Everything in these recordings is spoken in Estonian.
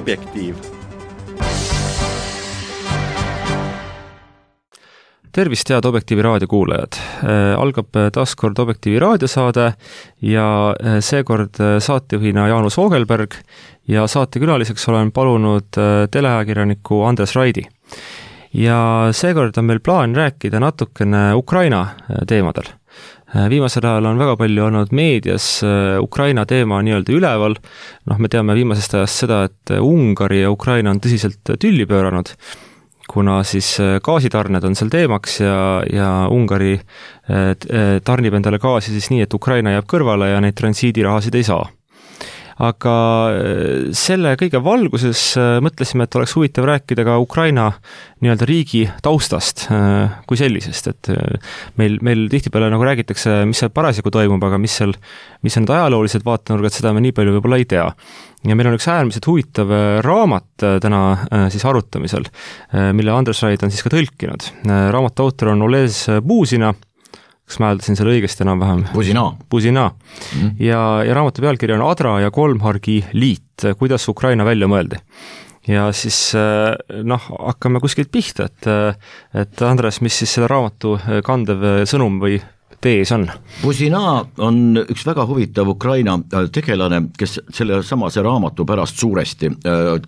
Objektiiv. Tervist, head Objektiivi raadiokuulajad. Algab taas kord Objektiivi raadiosaade ja seekord saatejuhina Jaanus Voogelberg ja saatekülaliseks olen palunud teleajakirjaniku Andres Raidi. Ja seekord on meil plaan rääkida natukene Ukraina teemadel. Viimasel ajal on väga palju olnud meedias Ukraina teema nii-öelda üleval. Me teame viimasest ajast seda, et Ungari ja Ukraina on tõsiselt tülli pööranud, kuna siis gaasitarned on seal teemaks ja Ungari tarnib endale gaasi siis nii, et Ukraina jääb kõrvale ja neid transiidirahasid ei saa. Aga selle kõige valguses mõtlesime, et oleks huvitav rääkida ka Ukraina nii-öelda riigi taustast kui sellisest, et meil tihtipeale nagu räägitakse, mis seal parasjagu toimub, aga mis on need ajaloolised vaatenurgad, seda me nii palju võib-olla ei tea. Ja meil on üks äärmiselt huvitav raamat täna siis arutamisel, mille Andres Raid on siis ka tõlkinud. Raamatu autor on Olez Buzina, kas ma hääldasin selle õigesti enam-vähem? Buzina. Ja raamatu pealkiri on Adra ja Kolmhargi liit, kuidas Ukraina välja mõeldi. Ja siis hakkame kuskilt pihta, et Andres, mis siis selle raamatu kandev sõnum või tees on? Buzina on üks väga huvitav Ukraina tegelane, kes selle samase raamatu pärast suuresti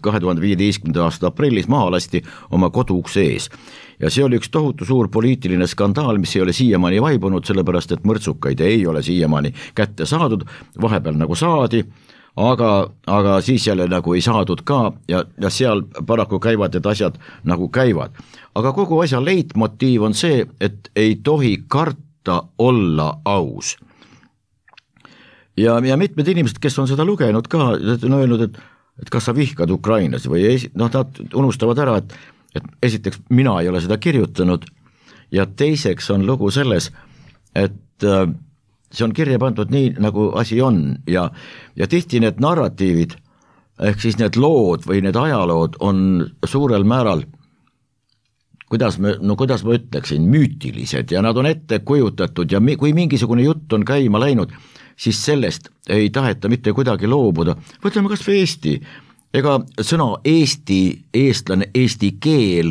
2015. aasta aprillis maha lasti oma koduukse ees. Ja see oli üks tohutu suur poliitiline skandaal, mis ei ole siiamaani vaibunud, sellepärast et mõrtsukaid ei ole siiamaani kätte saadud, vahepeal nagu saadi, aga siis jälle nagu ei saadud ka ja seal paraku käivad need asjad nagu käivad. Aga kogu asja leitmotiiv on see, et ei tohi karta olla aus. Ja mitmed inimesed, kes on seda lugenud ka, on öelnud, et kas sa vihkad Ukrainas või ei, nad unustavad ära, et esiteks mina ei ole seda kirjutanud ja teiseks on lugu selles, et see on kirja pandud nii, nagu asi on ja tihti need narratiivid, ehk siis need lood või need ajalood on suurel määral, kuidas ma ütleksin, müütilised ja nad on ette kujutatud ja kui mingisugune jutt on käima läinud, siis sellest ei taheta mitte kuidagi loobuda. Võtleme kas või Eesti. Ega sõna Eesti, eestlane, eesti keel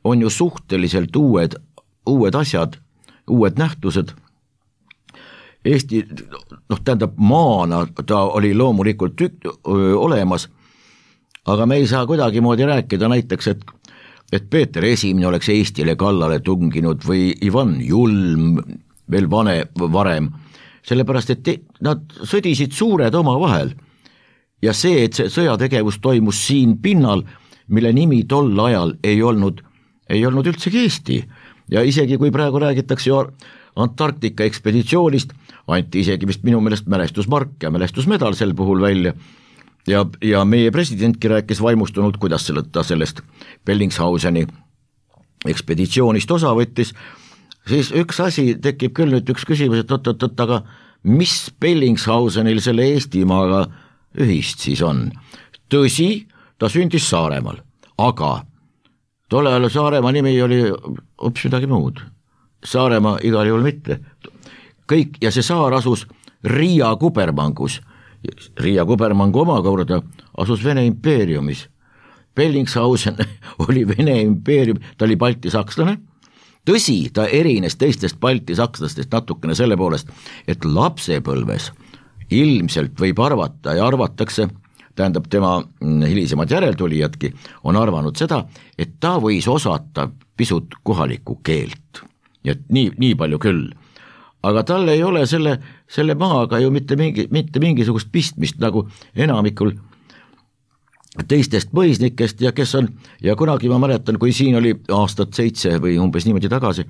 on ju suhteliselt uued asjad, uued nähtused. Eesti, tähendab maana ta oli loomulikult olemas, aga me ei saa kuidagi moodi rääkida näiteks, et Peeter Esimene oleks Eestile kallale tunginud või Ivan Julm veel varem, sellepärast et nad sõdisid suured oma vahel. Ja see, et see sõjategevus toimus siin pinnal, mille nimi tol ajal ei olnud üldsegi Eesti. Ja isegi kui praegu räägitakse Antarktika ekspeditsioonist, anti isegi vist minu meelest mälestusmark ja mälestusmedal sel puhul välja. Ja meie presidentki rääkis vaimustunult, kuidas ta sellest Bellingshauseni ekspeditsioonist osa võttis. Siis üks asi tekib küll nüüd üks küsimus, et aga mis Bellingshausenil selle Eestimaaga ühist siis on. Tõsi, ta sündis Saaremaal, aga tolle ajal Saaremaa nimi oli hoopis midagi muud. Saaremaa igal juhul mitte. Kõik, ja see saar asus Riia Kubermangus. Riia Kubermangu omakorda asus Vene impeeriumis. Bellingshausen oli Vene impeerium, ta oli baltisakslane. Tõsi, ta erines teistest baltisakslastest natukene selle poolest, et lapsepõlves ilmselt võib arvata ja arvatakse, tähendab tema hilisemad järeltulijadki, on arvanud seda, et ta võis osata pisut kohalikku keelt. Ja nii palju küll. Aga tal ei ole selle maaga ju mitte mingisugust pistmist nagu enamikul teistest mõisnikest ja kes on, ja kunagi ma mäletan, kui siin oli aastat 7 või umbes niimoodi tagasi,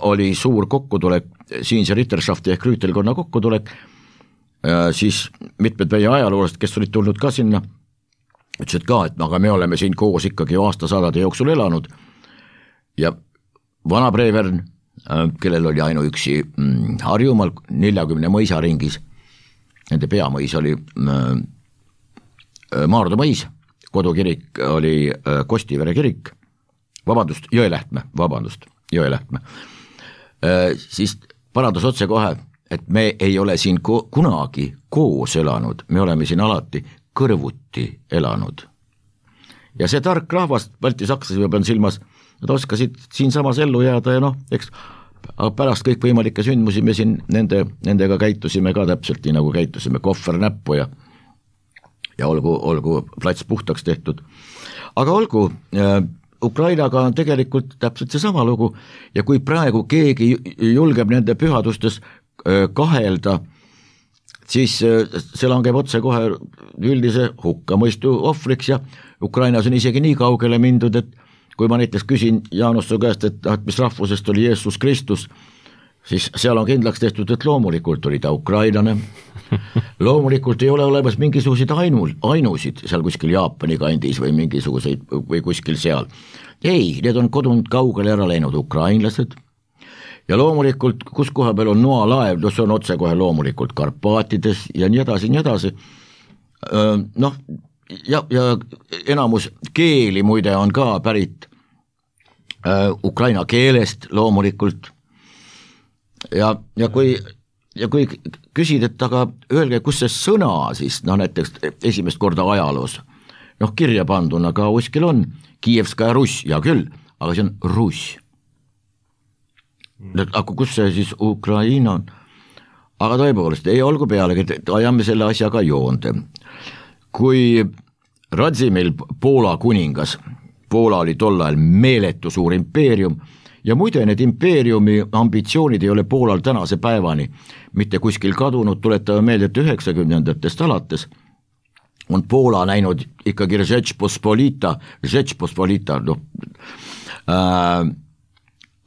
oli suur kokkutulek, siinse Ritterschafti ehk rüütelkonna kokkutulek, siis mitmed meie ajaloolased, kes olid tulnud ka sinna, ütlesid ka, et aga me oleme siin koos ikkagi aastasadade jooksul elanud ja vana Brevern, kellel oli ainuüksi Harjumaal 40 mõisaringis, nende peamõis oli Maardu mõis, kodukirik oli Kostivere kirik, Jõelähtme, siis parandas otse kohe, et me ei ole siin kunagi koos elanud, me oleme siin alati kõrvuti elanud. Ja see tark rahvas, baltisakslased ma pean silmas, nad oskasid siinsamas ellu jääda ja eks pärast kõikvõimalikke sündmusi me siin nendega käitusime ka täpselt nii nagu käitusime, kohver näppu ja olgu plats puhtaks tehtud. Aga olgu, Ukrainaga on tegelikult täpselt see sama lugu ja kui praegu keegi julgeb nende pühadustes kahelda, siis see langeb otse kohe üldise hukkamõistu ohvriks ja Ukrainas on isegi nii kaugele mindud, et kui ma näiteks küsin Jaanus su käest, et mis rahvusest oli Jeesus Kristus, siis seal on kindlaks tehtud, et loomulikult oli ta ukrainlane. Loomulikult ei ole olemas mingisuguseid ainusid seal kuskil Jaapani kandis või mingisuguseid või kuskil seal. Ei, need on kodunud kaugele ära läinud ukrainlased. Ja loomulikult, kus koha peal on noalaev, see on otse kohe loomulikult Karpaatides ja nii edasi. Ja enamus keeli muide on ka pärit ukraina keelest loomulikult ja kui küsid, et aga öelge, kus see sõna siis, näiteks esimest korda ajaloos, kirja panduna ka kuskil on Kiievskaja Russ, ja küll, aga see on Russ. Aga kus see siis Ukraina on? Aga tõepoolest, ei olgu pealegi, ajame selle asjaga joonde. Kui Radzimil Poola kuningas, Poola oli tol ajal meeletu suur impeerium ja muide need impeeriumi ambitsioonid ei ole Poolal tänase päevani mitte kuskil kadunud, tuletame meelde, et 90-ndatest alates on Poola näinud ikkagi Rzeczpospolita,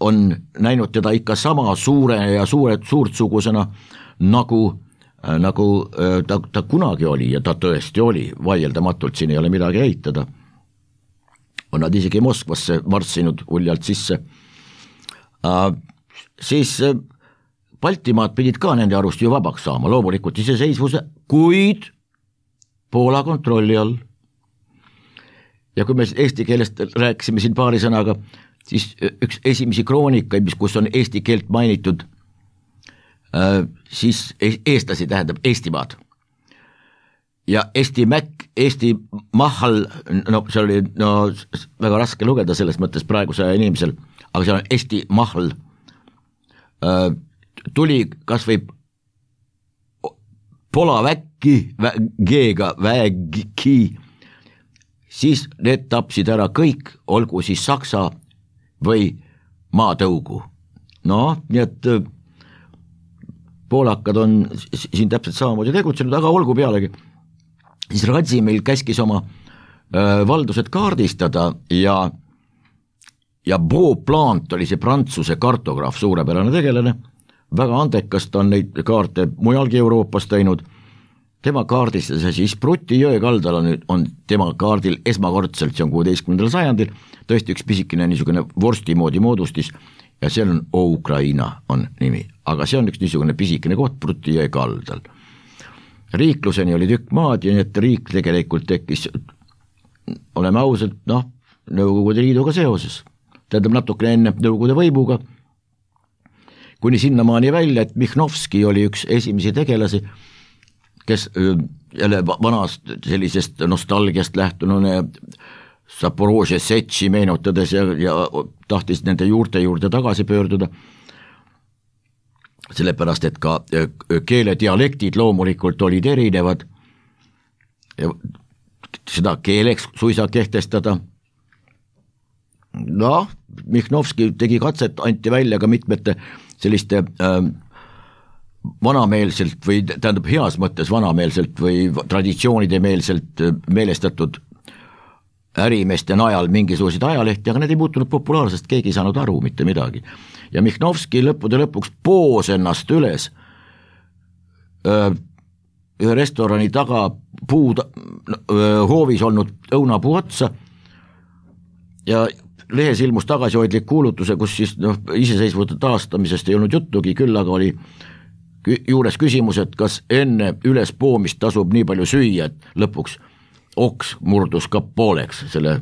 on näinud teda ikka sama suure ja suurtsugusena nagu ta kunagi oli ja ta tõesti oli, vaieldamatult siin ei ole midagi eitada. On nad isegi Moskvasse marssinud uljalt sisse. Siis Baltimaad pidid ka nende arust ju vabaks saama, loomulikult iseseisvuse, kuid Poola kontrolli all. Ja kui me eesti keelest rääkisime siin paari sõnaga, siis üks esimesi kroonikaid, kus on eesti keelt mainitud, siis eestlasi tähendab Eestimaad ja Eesti Mäkk, Eesti Mahal, see oli väga raske lugeda selles mõttes praeguse inimesel, aga see on Eesti Mahal, tuli kas või Polaväkki, G-ga vägi, siis need tapsid ära kõik, olgu siis Saksa või maatõugu. Nii et poolakad on siin täpselt samamoodi tegutsenud, aga olgu pealegi. Siis Radzimil käskis oma valdused kaardistada ja Beauplant oli see Prantsuse kartograaf, suurepärane tegelane, väga andekas, ta on neid kaarte mujalgi Euroopas teinud, tema kaardistas ja siis Pruti jõe kaldal on tema kaardil esmakordselt, see on 16. sajandil, tõesti üks pisikene niisugune vorsti moodi moodustis ja seal on Ukraina on nimi, aga see on üks niisugune pisikene koht Pruti jõe kaldal. Riikluseni oli tükk maad ja nii, et riik tegelikult tekkis, oleme ausad, Nõukogude Liiduga seoses, tähendab natukene enne Nõukogude võimuga, kuni sinnamaani välja, et Mihnovski oli üks esimesi tegelasi, kes jälle vanast sellisest nostalgiast lähtunune Zaporožje Setši meenutades ja tahtis nende juurde tagasi pöörduda, sellepärast, et ka keeledialektid loomulikult olid erinevad ja seda keeleks suisa kehtestada. Mihnovski tegi katset, anti välja ka mitmete selliste vanameelselt või tähendab heas mõttes vanameelselt või traditsioonide meelselt meelestatud ärimeeste najal mingisuguseid ajalehti, aga need ei muutunud populaarsest, keegi ei saanud aru mitte midagi. Ja Mihnovski lõppude lõpuks poos ennast üles ühe restorani taga hoovis olnud õunapuu otsa ja lehes ilmus tagasihoidlik kuulutuse, kus siis iseseisvuse taastamisest ei olnud juttugi, küll aga oli juures küsimus, et kas enne üles poomist tasub nii palju süüa, et lõpuks oks murdus ka pooleks selle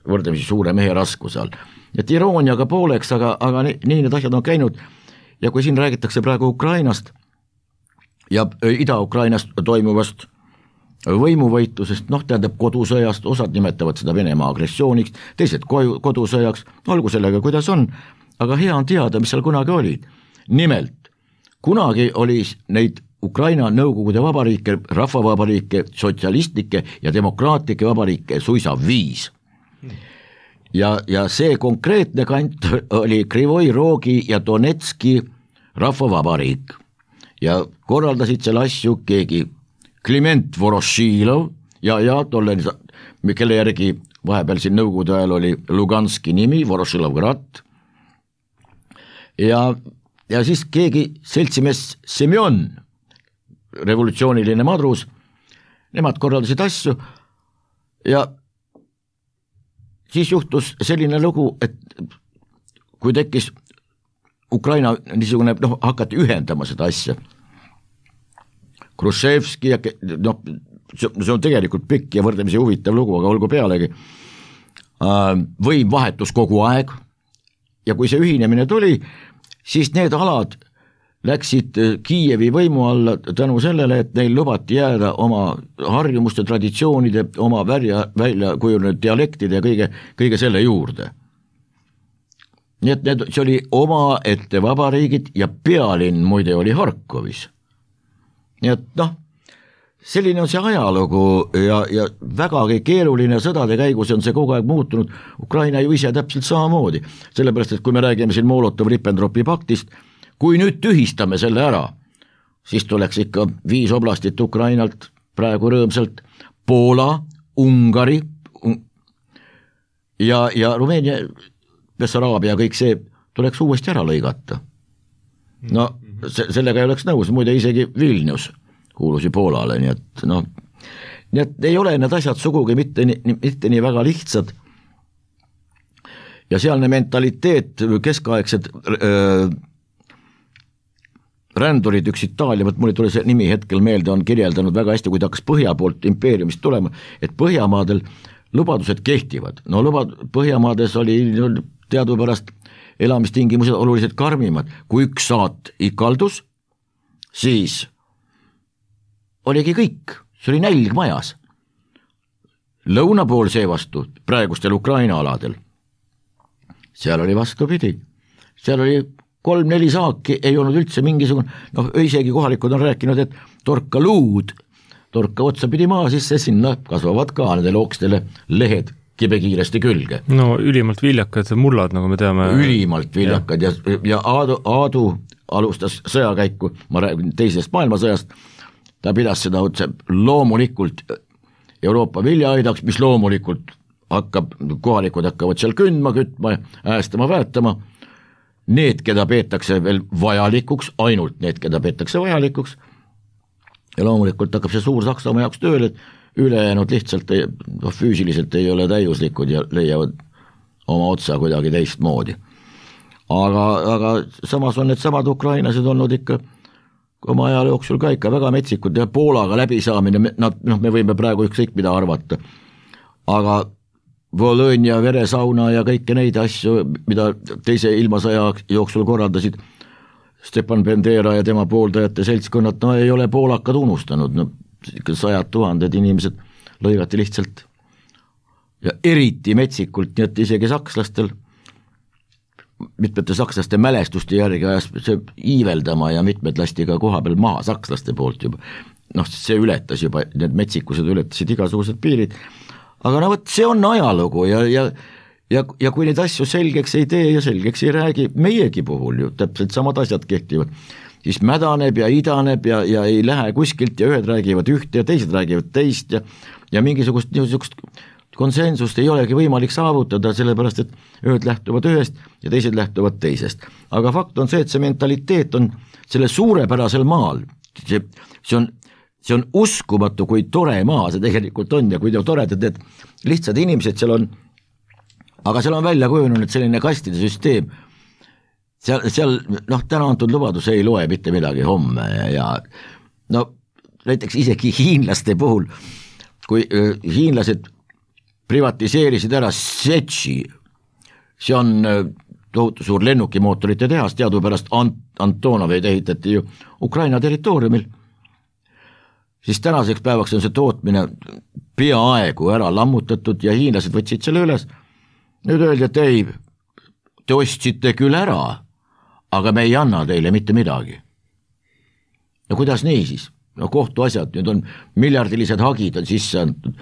võrdlemisi suure mehe raskuse all. Et irooniaga pooleks, aga nii need asjad on käinud ja kui siin räägitakse praegu Ukrainast ja Ida-Ukrainast toimuvast võimuvõitlusest, tähendab kodusõjast, osad nimetavad seda Venemaa agressiooniks, teised kodusõjaks, olgu sellega, kuidas on, aga hea on teada, mis seal kunagi oli. Nimelt, kunagi oli neid Ukraina Nõukogude vabariike, rahvavabariike, sotsialistlikke ja demokraatlikke vabariike suisa 5. Ja see konkreetne kant oli Krivoi Rogi ja Donetski rahvavabariik ja korraldasid selle asju keegi Kliment Vorošilov ja tolle, kelle järgi vahepeal siin Nõukogude ajal oli Luganski nimi, Vorošilovgrad ja siis keegi seltsimees Semjon, revolutsiooniline madrus, nemad korraldasid asju ja siis juhtus selline lugu, et kui tekkis Ukraina niisugune, hakati ühendama seda asja. Khrushchevski ja see on tegelikult pikk ja võrdlemisi huvitav lugu, aga olgu pealegi, võim vahetus kogu aeg ja kui see ühinemine tuli, siis need alad läksid Kiievi võimu alla tänu sellele, et neil lubati jääda oma harjumuste, traditsioonide, oma välja kujunenud dialektide ja kõige selle juurde. Nii et see oli oma ette vabariigid ja pealinn muide oli Harkovis. Nii et selline on see ajalugu ja vägagi keeruline sõdade käigus on see kogu aeg muutunud, Ukraina ju ise täpselt samamoodi, sellepärast et kui me räägime siin Molotov-Ribbentropi paktist, kui nüüd tühistame selle ära, siis tuleks ikka 5 oblastit Ukrainalt praegu rõõmsalt, Poola, Ungari ja Rumeenia, Bessaraabia, kõik see tuleks uuesti ära lõigata. Sellega ei oleks nõus, muide isegi Vilnius kuulus ju Poolale, nii et ei ole need asjad sugugi mitte nii väga lihtsad ja sealne mentaliteet, keskaegsed rändurid, üks Itaalia, mul ei tule see nimi hetkel meelde, on kirjeldanud väga hästi, kui ta hakkas põhja poolt impeeriumist tulema, et Põhjamaadel lubadused kehtivad, Põhjamaades oli teadupärast elamistingimused oluliselt karmimad, kui üks saat ikaldus, siis oligi kõik, see oli nälg majas. Lõuna pool seevastu, praegustel Ukraina aladel, seal oli vastupidi, seal oli 3-4 saaki, ei olnud üldse mingisugune, isegi kohalikud on rääkinud, et torka luud, torka otsapidi maa sisse, sinna kasvavad ka nendele okstele lehed kibekiiresti külge. Ülimalt viljakad mullad, nagu me teame. Ülimalt viljakad ja Aadu alustas sõjakäiku, ma räägin teisest maailmasõjast, ta pidas seda otse loomulikult Euroopa viljaaidaks, mis loomulikult kohalikud hakkavad seal kündma, kütma, äästama, väetama, need, keda peetakse veel vajalikuks, ainult need, keda peetakse vajalikuks ja loomulikult hakkab see suur Saksamaa jaoks tööle, et ülejäänud lihtsalt füüsiliselt ei ole täiuslikud ja leiavad oma otsa kuidagi teistmoodi. Aga samas on need samad ukrainlased olnud ikka oma ajal jooksul ka ikka väga metsikud ja Poolaga läbisaamine, me võime praegu ükskõik mida arvata, aga Volõnja veresauna ja kõike neid asju, mida teise ilmasõja jooksul korraldasid Stepan Bendera ja tema pooldajate seltskonnad, ei ole poolakad unustanud, 100 000 inimesed lõigati lihtsalt ja eriti metsikult, nii et isegi sakslastel, mitmete sakslaste mälestuste järgi ajas see iiveldama ja mitmed lasti ka koha peal maha sakslaste poolt juba, see ületas juba, need metsikused ületasid igasugused piirid, aga see on ajalugu ja kui neid asju selgeks ei tee ja selgeks ei räägi, meiegi puhul ju täpselt samad asjad kehtivad, siis mädaneb ja idaneb ja ei lähe kuskilt ja ühed räägivad ühte ja teised räägivad teist ja mingisugust konsensust ei olegi võimalik saavutada, sellepärast et ühed lähtuvad ühest ja teised lähtuvad teisest. Aga fakt on see, et see mentaliteet on selle suurepärasel maal, see on uskumatu, kui tore maa see tegelikult on ja kui toredad need lihtsad inimesed seal on, aga seal on välja kujunenud selline kastide süsteem, seal täna antud lubadus ei loe mitte midagi homme ja näiteks isegi hiinlaste puhul, kui hiinlased privatiseerisid ära Setši, see on tohutu suur lennukimootorite tehas, teadupärast Antonoveid ehitati ju Ukraina territooriumil, siis tänaseks päevaks on see tootmine peaaegu ära lammutatud ja hiinlased võtsid selle üles. Nüüd öeldi, et ei, te ostsite küll ära, aga me ei anna teile mitte midagi. No kuidas nii siis? No kohtuasjad, nüüd on miljardilised hagid on sisse antud,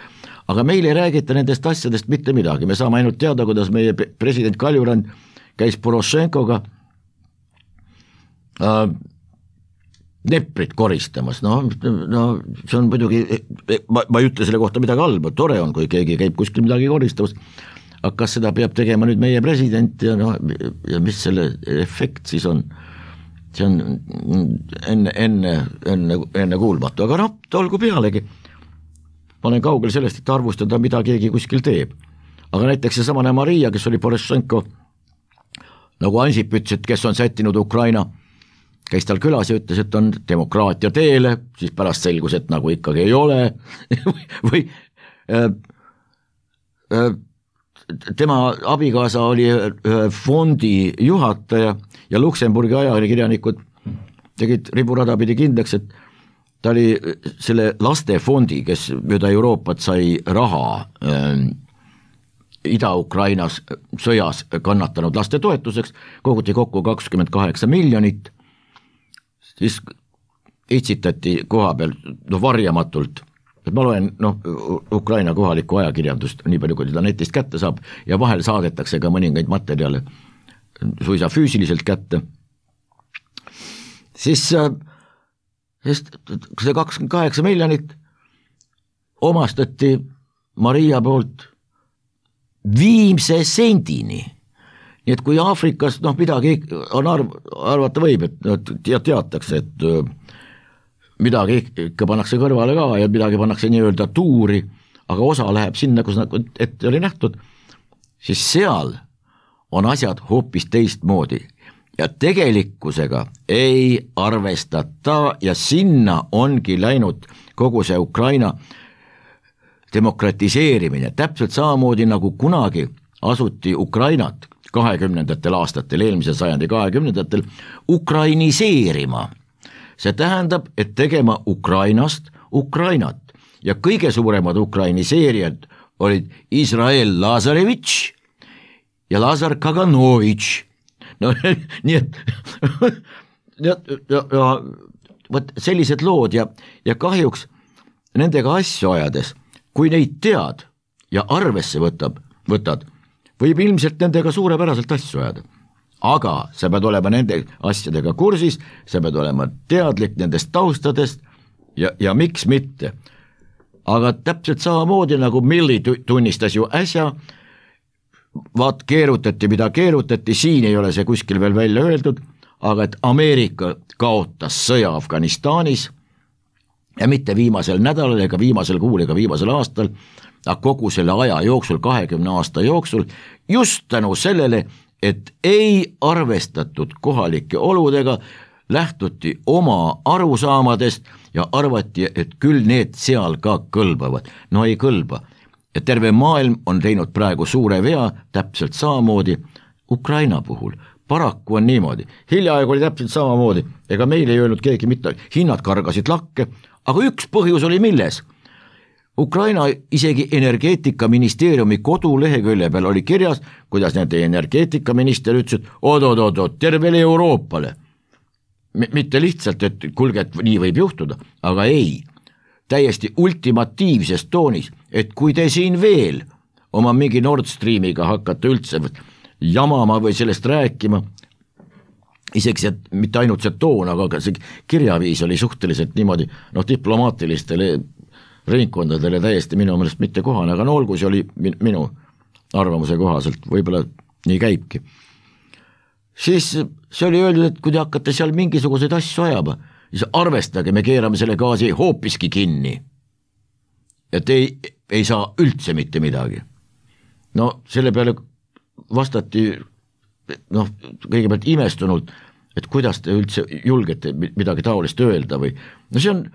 aga meil ei räägita nendest asjadest mitte midagi, me saame ainult teada, kuidas meie president Kaljurand käis Porošenkoga neprit koristamas, no see on muidugi, ma ei ütle selle kohta midagi halba, tore on, kui keegi käib kuskil midagi koristamas, aga kas seda peab tegema nüüd meie president ja mis selle efekt siis on, see on enne kuulmatu, aga olgu pealegi, ma olen kaugel sellest, et arvustada, mida keegi kuskil teeb, aga näiteks see samane Maria, kes oli Porošenko, nagu Ansip ütles, et kes on sättinud Ukraina, käis tal külas ja ütles, et on demokraatia teele, siis pärast selgus, et nagu ikkagi ei ole või tema abikaasa oli fondi juhataja ja Luksemburgi ajakirjanikud tegid riburada pidi kindlaks, et ta oli selle lastefondi, kes mööda Euroopat sai raha Ida-Ukrainas sõjas kannatanud laste toetuseks, koguti kokku 28 miljonit, siis itsitati koha peal varjamatult, et ma loen Ukraina kohalikku ajakirjandust nii palju, kui seda netist kätte saab ja vahel saadetakse ka mõningaid materjale suisa füüsiliselt kätte, siis see 28 miljonit omastati Maria poolt viimse sendini. Nii et kui Aafrikas midagi on arvata võib, et teatakse, et midagi ikka pannakse kõrvale ka ja midagi pannakse nii-öelda tuuri, aga osa läheb sinna, kus ette oli nähtud, siis seal on asjad hoopis teistmoodi ja tegelikkusega ei arvestata ja sinna ongi läinud kogu see Ukraina demokratiseerimine, täpselt samamoodi nagu kunagi asuti Ukrainat 20. aastatel, eelmise sajandi 20. ukrainiseerima. See tähendab, et tegema Ukrainast Ukrainat ja kõige suuremad ukrainiseerijad olid Izrael Lazarevitš ja Lazar Kaganovitš. No nii et võt sellised lood ja kahjuks nendega asju ajades, kui neid tead ja arvesse võtad, võib ilmselt nendega suurepäraselt asju ajada, aga sa pead olema nende asjadega kursis, sa pead olema teadlik nendest taustadest ja miks mitte. Aga täpselt samamoodi nagu Milli tunnistas ju äsja, vaat keerutati, mida keerutati, siin ei ole see kuskil veel välja öeldud, aga et Ameerika kaotas sõja Afganistanis ja mitte viimasel nädalal ega viimasel kuul ega viimasel aastal, aga kogu selle aja jooksul, 20 aasta jooksul, just tänu sellele, et ei arvestatud kohalike oludega, lähtuti oma arusaamadest ja arvati, et küll need seal ka kõlbavad. No ei kõlba. Ja terve maailm on teinud praegu suure vea, täpselt samamoodi Ukraina puhul. Paraku on niimoodi. Hiljaaegu oli täpselt samamoodi. Ega meil ei öelnud keegi mitte, hinnad kargasid lakke, aga üks põhjus oli milles? Ukraina isegi energeetikaministeeriumi kodulehekülje peal oli kirjas, kuidas nende energeetikaminister ütles, et oot, tervele Euroopale. Mitte lihtsalt, et kuulge, et nii võib juhtuda, aga ei, täiesti ultimatiivses toonis, et kui te siin veel oma mingi Nord Streamiga hakkate üldse jamama või sellest rääkima, isegi see, mitte ainult see toon, aga see kirjaviis oli suhteliselt niimoodi, diplomaatilistele ringkondadele täiesti minu meelest mitte kohane, aga olgu, see oli minu arvamuse kohaselt, võib-olla nii käibki. Siis see oli öeldud, et kui te hakkate seal mingisuguseid asju ajama, siis arvestage, me keerame selle gaasi hoopiski kinni. Et ei saa üldse mitte midagi. No selle peale vastati kõigepealt imestunult, et kuidas te üldse julgete midagi taolist öelda või see on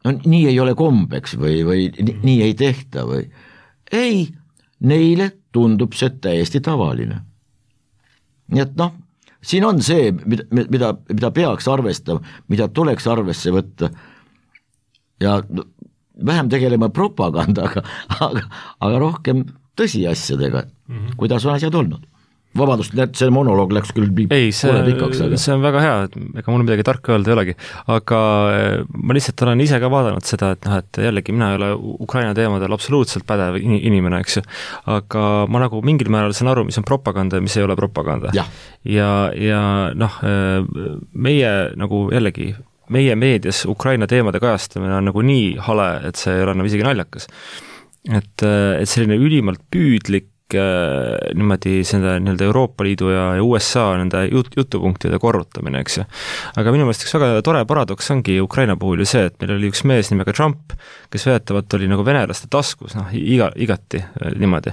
nii ei ole kombeks või nii ei tehta või ei, neile tundub see täiesti tavaline. Nii et siin on see, mida peaks arvestama, mida tuleks arvesse võtta ja vähem tegelema propagandaga, aga rohkem tõsiasjadega, kuidas on asjad olnud. Vabandust, see monoloog läks küll pikaks, aga see on väga hea, ega mul midagi tarka öelda ei olegi, aga ma lihtsalt olen ise ka vaadanud seda, et jällegi mina ei ole Ukraina teemadel absoluutselt pädev inimene, eks ju, aga ma nagu mingil määral saan aru, mis on propaganda ja mis ei ole propaganda. Ja noh, meie nagu jällegi, meie meedias Ukraina teemade kajastamine on nagu nii hale, et see ei ole nagu isegi naljakas. Et selline ülimalt püüdlik niimoodi nii-öelda Euroopa Liidu ja USA nende jutupunktide korrutamine, eks ju. Aga minu meelest üks väga tore paradoks ongi Ukraina puhul ju see, et meil oli üks mees nimega Trump, kes väidetavalt oli nagu venelaste taskus, igati niimoodi.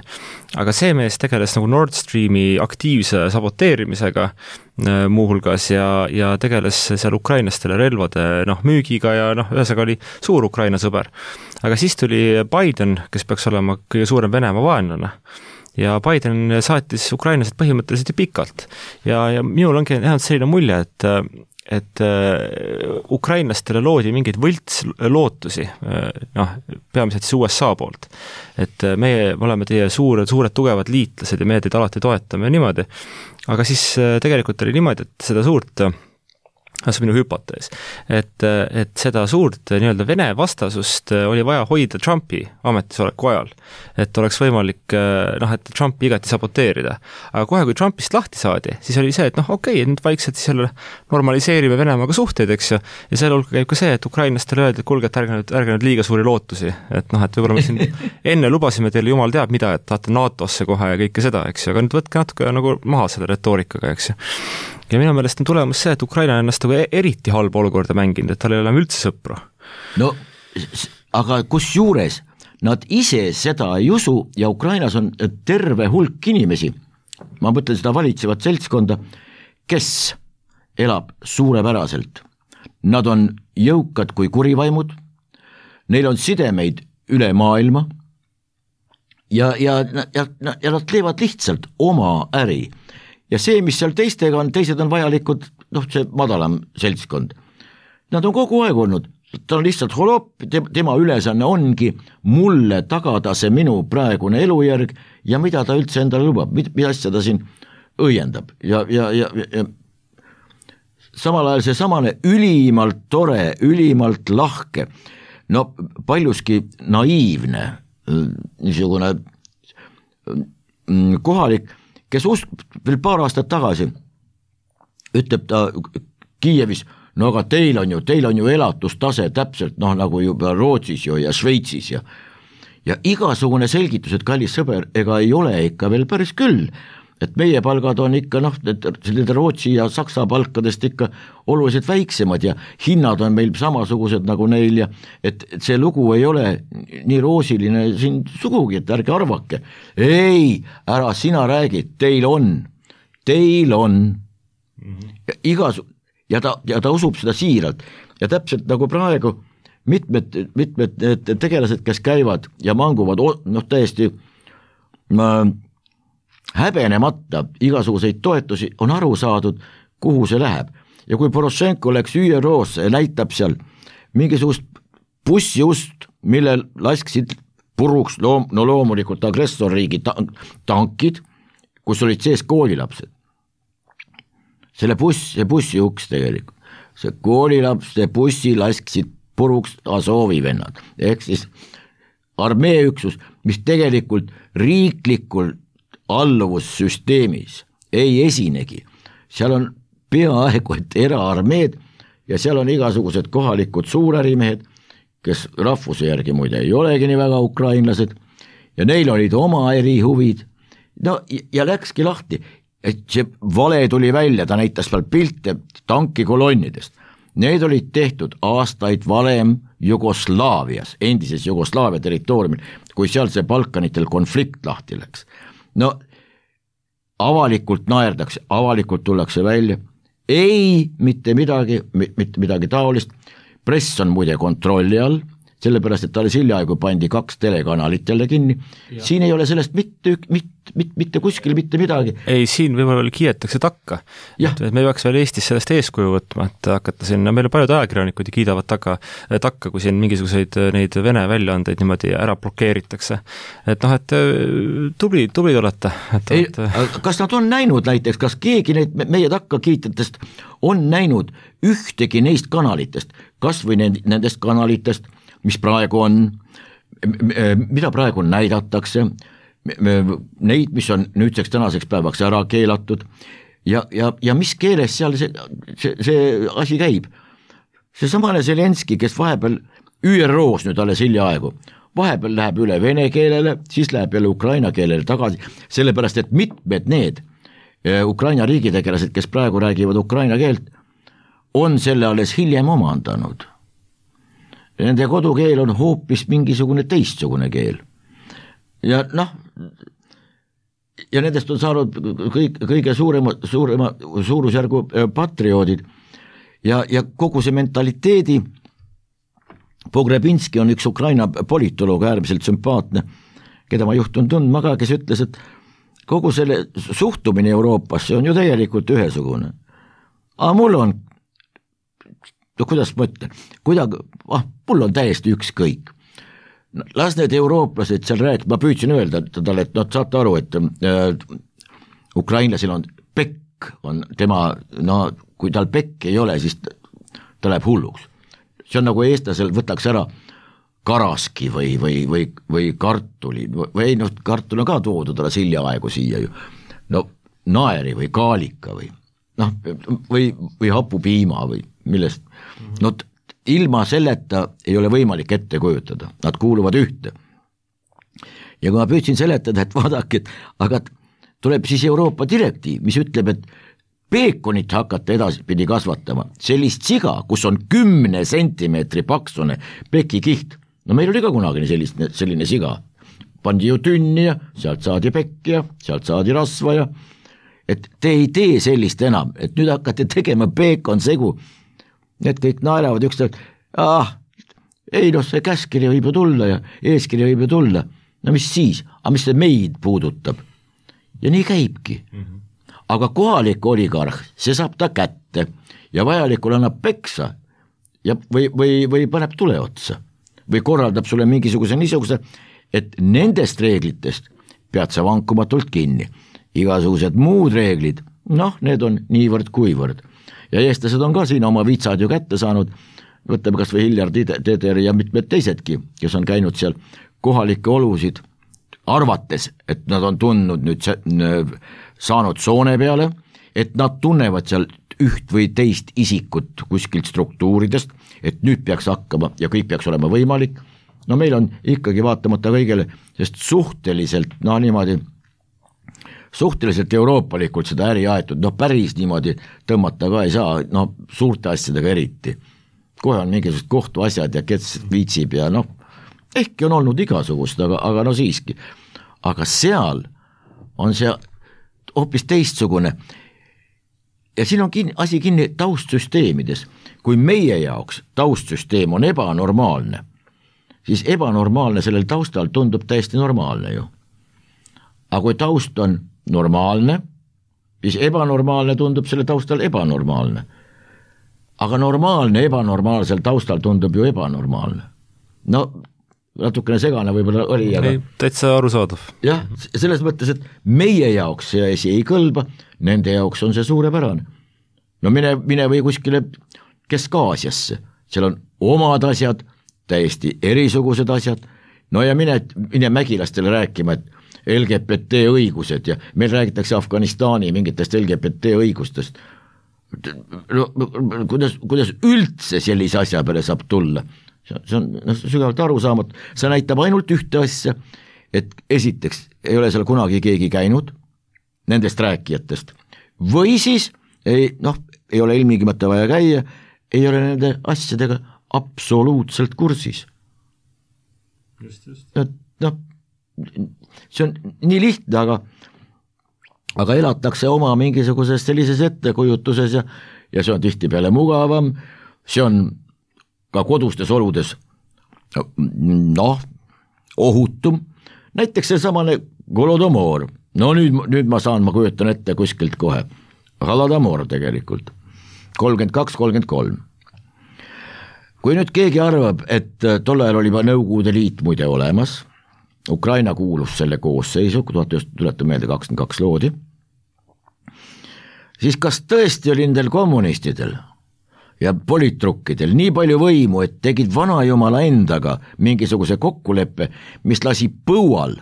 Aga see mees tegeles nagu Nord Streami aktiivse saboteerimisega muuhulgas ja tegeles seal ukrainlastele relvade müügiga ja ühesõnaga oli suur Ukraina sõber. Aga siis tuli Biden, kes peaks olema kõige suurem Venemaa vaenlane. Ja Biden saatis ukrainlased põhimõtteliselt ju pikalt. Ja minul ongi nähnud selline mulje, et ukrainlastele loodi mingeid võltslootusi, peamiselt siis USA poolt. Et meie oleme teie suured tugevad liitlased ja meie teid alati toetame ja niimoodi. Aga siis tegelikult oli niimoodi, et seda suurt see on minu hüpotees, et seda suurt nii-öelda Vene vastasust oli vaja hoida Trumpi ametisoleku ajal, et oleks võimalik et Trumpi igati saboteerida. Aga kohe, kui Trumpist lahti saadi, siis oli see, et nüüd vaikselt siis jälle normaliseerime Venemaaga suhteid, eks ju, ja selle hulka käib ka see, et ukrainlastele öeldi, et kuulge, et ärge nüüd liiga suuri lootusi, et võib-olla me siin enne lubasime teile jumal teab mida, et tahate NATO-sse kohe ja kõike seda, eks ju, aga nüüd võtke natuke nagu maha selle retoorikaga, eks ju. Ja minu meelest on tulemus see, et Ukraina ennast eriti halba olukorda mänginud, et tal ei ole üldse sõpru. No, aga kus juures nad ise seda ei usu ja Ukrainas on terve hulk inimesi, ma mõtlen seda valitsevat seltskonda, kes elab suurepäraselt. Nad on jõukad kui kurivaimud, neil on sidemeid üle maailma ja nad teevad lihtsalt oma äri. Ja see, mis seal teistega on, teised on vajalikud, see madalam seltskond. Nad on kogu aeg olnud, ta on lihtsalt holopp, tema ülesanne ongi mulle tagada see minu praegune elujärg ja mida ta üldse endale lubab, mida asja ta siin õiendab. Ja samal ajal see samane ülimalt tore, ülimalt lahke, paljuski naiivne, niisugune kohalik, kes veel paar aastat tagasi ütleb ta Kiievis, aga teil on ju elatustase täpselt nagu juba Rootsis ja Šveitsis ja igasugune selgitus, et kallis sõber, ega ei ole ikka veel päris küll, et meie palgad on ikka Rootsi ja Saksa palkadest ikka oluliselt väiksemad ja hinnad on meil samasugused nagu neil ja et see lugu ei ole nii roosiline siin sugugi, et ärge arvake. Ei, ära sina räägid, teil on. Ja ta usub seda siiralt ja täpselt nagu praegu mitmed tegelased, kes käivad ja manguvad täiesti häbenemata igasuguseid toetusi, on aru saadud, kuhu see läheb. Ja kui Porošenko läks ÜRO-sse ja näitab seal mingisugust bussiust, millel lasksid puruks loomulikult agressorriigi tankid, kus olid sees koolilapsed. See bussi uks tegelikult. See koolilaps, see bussi lasksid puruks Azovi vennad. Ehk siis armeeüksus, mis tegelikult riiklikult alluvussüsteemis ei esinegi. Seal on peaaegu et eraarmeed ja seal on igasugused kohalikud suurärimehed, kes rahvuse järgi muide ei olegi nii väga ukrainlased ja neil olid oma erihuvid. Ja läkski lahti, et see vale tuli välja, ta näitas veel pilte tankikolonnidest. Need olid tehtud aastaid valem Jugoslaavias, endises Jugoslaavia territooriumil, kui seal see Balkanitel konflikt lahti läks. Avalikult naerdakse, avalikult tullakse välja, mitte midagi taolist, press on muide kontrolli all, sellepärast, et alles hiljaaegu pandi 2 telekanalit jälle kinni, siin ei ole sellest mitte kuskil mitte midagi. Ei, siin võib-olla kiidetakse takka. Et me peaks veel Eestis sellest eeskuju võtma, et hakata siin, meil on paljud ajakirjanikud ja kiidavad takka, kui siin mingisuguseid neid Vene väljaandeid niimoodi ära blokeeritakse. Et noh, et tublid olete. Kas nad on näinud näiteks, kas keegi neid meie takka kiitjatest on näinud ühtegi neist kanalitest, kas või nendest kanalitest, mis praegu on, mida praegu näidatakse, neid, mis on nüüdseks tänaseks päevaks ära keelatud ja mis keeles seal see asi käib. See samane Zelenski, kes vahepeal ÜRO-s nüüd alles hiljaaegu, vahepeal läheb üle vene keelele, siis läheb jälle ukraina keelele tagasi, sellepärast et mitmed need Ukraina riigitegelased, kes praegu räägivad ukraina keelt, on selle alles hiljem omandanud. Nende kodukeel on hoopis mingisugune teistsugune keel. Ja nendest on saanud kõige suurema suurusjärgu patrioodid ja kogu see mentaliteedi. Pogrebinski on üks Ukraina politoloog, äärmiselt sümpaatne, keda ma juhtun tundma ka, kes ütles, et kogu selle suhtumine Euroopasse on ju tegelikult ühesugune. Aga mul on, kuidas ma ütlen, mul on täiesti ükskõik. Las need eurooplased seal rääkida, ma püüdsin öelda talle, et saate aru, et ukrainlasil on pekk, on tema, kui tal pekk ei ole, siis ta läheb hulluks. See on nagu eestlasel võtaks ära karaski või kartuli, või kartul on ka toodud alles hiljaaegu siia ju, naeri või kaalika või hapupiima või millest, ilma selleta ei ole võimalik ette kujutada, nad kuuluvad ühte. Ja kui ma püüdsin seletada, et vaadake, aga tuleb siis Euroopa direktiiv, mis ütleb, et peekonit hakata edaspidi kasvatama, sellist siga, kus on 10 sentimeetri paksune pekikiht, meil oli ka kunagi selline siga, pandi ju tünni ja sealt saadi pekki ja sealt saadi rasva ja et te ei tee sellist enam, et nüüd hakkate tegema peekon segu, need kõik naeravad üksteist, see käskiri võib ju tulla ja eeskiri võib ju tulla, mis siis, mis see meid puudutab ja nii käibki. Aga kohalik oligarh, see saab ta kätte ja vajalikul annab peksa ja või paneb tule otsa või korraldab sulle mingisuguse niisuguse, et nendest reeglitest pead sa vankumatult kinni. Igasugused muud reeglid, need on niivõrd kuivõrd. Ja eestlased on ka siin oma vitsad ju kätte saanud, võtame kas või Hiljar Teder ja mitmed teisedki, kes on käinud seal kohalikke olusid arvates, et nad on tundnud nüüd saanud soone peale, et nad tunnevad seal üht või teist isikut kuskilt struktuuridest, et nüüd peaks hakkama ja kõik peaks olema võimalik. Meil on ikkagi vaatamata kõigele, sest suhteliselt, suhteliselt euroopalikult seda äri aetud, päris niimoodi tõmmata ka ei saa, suurte asjadega eriti. Kohe on mingisugused kohtuasjad ja kes viitsib ja ehkki on olnud igasugust, aga siiski. Aga seal on see hoopis teistsugune. Ja siin on asi kinni taustsüsteemides. Kui meie jaoks taustsüsteem on ebanormaalne, siis ebanormaalne sellel taustal tundub täiesti normaalne ju. Aga kui taust on normaalne, siis ebanormaalne tundub selle taustal ebanormaalne. Aga normaalne ebanormaalsel taustal tundub ju ebanormaalne. Natukene segane võib-olla oli. Ei, täitsa arusaadav. Jah, selles mõttes, et meie jaoks see asi ei kõlba, nende jaoks on see suurepärane. Mine või kuskile Kesk-Aasiasse, seal on omad asjad, täiesti erisugused asjad, ja mine mägilastele rääkima, et LGBT õigused ja meil räägitakse Afganistani mingitest LGBT õigustest. Kuidas üldse sellise asja peale saab tulla? See on sügavalt arusaamatu, see näitab ainult ühte asja, et esiteks ei ole seal kunagi keegi käinud nendest rääkijatest või siis ei ole ilmingimata vaja käia, ei ole nende asjadega absoluutselt kursis. See on nii lihtne, aga elatakse oma mingisuguses sellises ettekujutuses ja see on tihtipeale mugavam, see on ka kodustes oludes noh, ohutum, näiteks see samane Holodomor, no nüüd ma kujutan ette kuskilt kohe, Holodomor tegelikult, 32-33. Kui nüüd keegi arvab, et tol ajal oli juba Nõukogude Liit muide olemas, Ukraina kuulus selle koosseisu, tuletan meelde 22 loodi, siis kas tõesti oli nendel kommunistidel ja politrukkidel nii palju võimu, et tegid vanajumala endaga mingisuguse kokkuleppe, mis lasi põual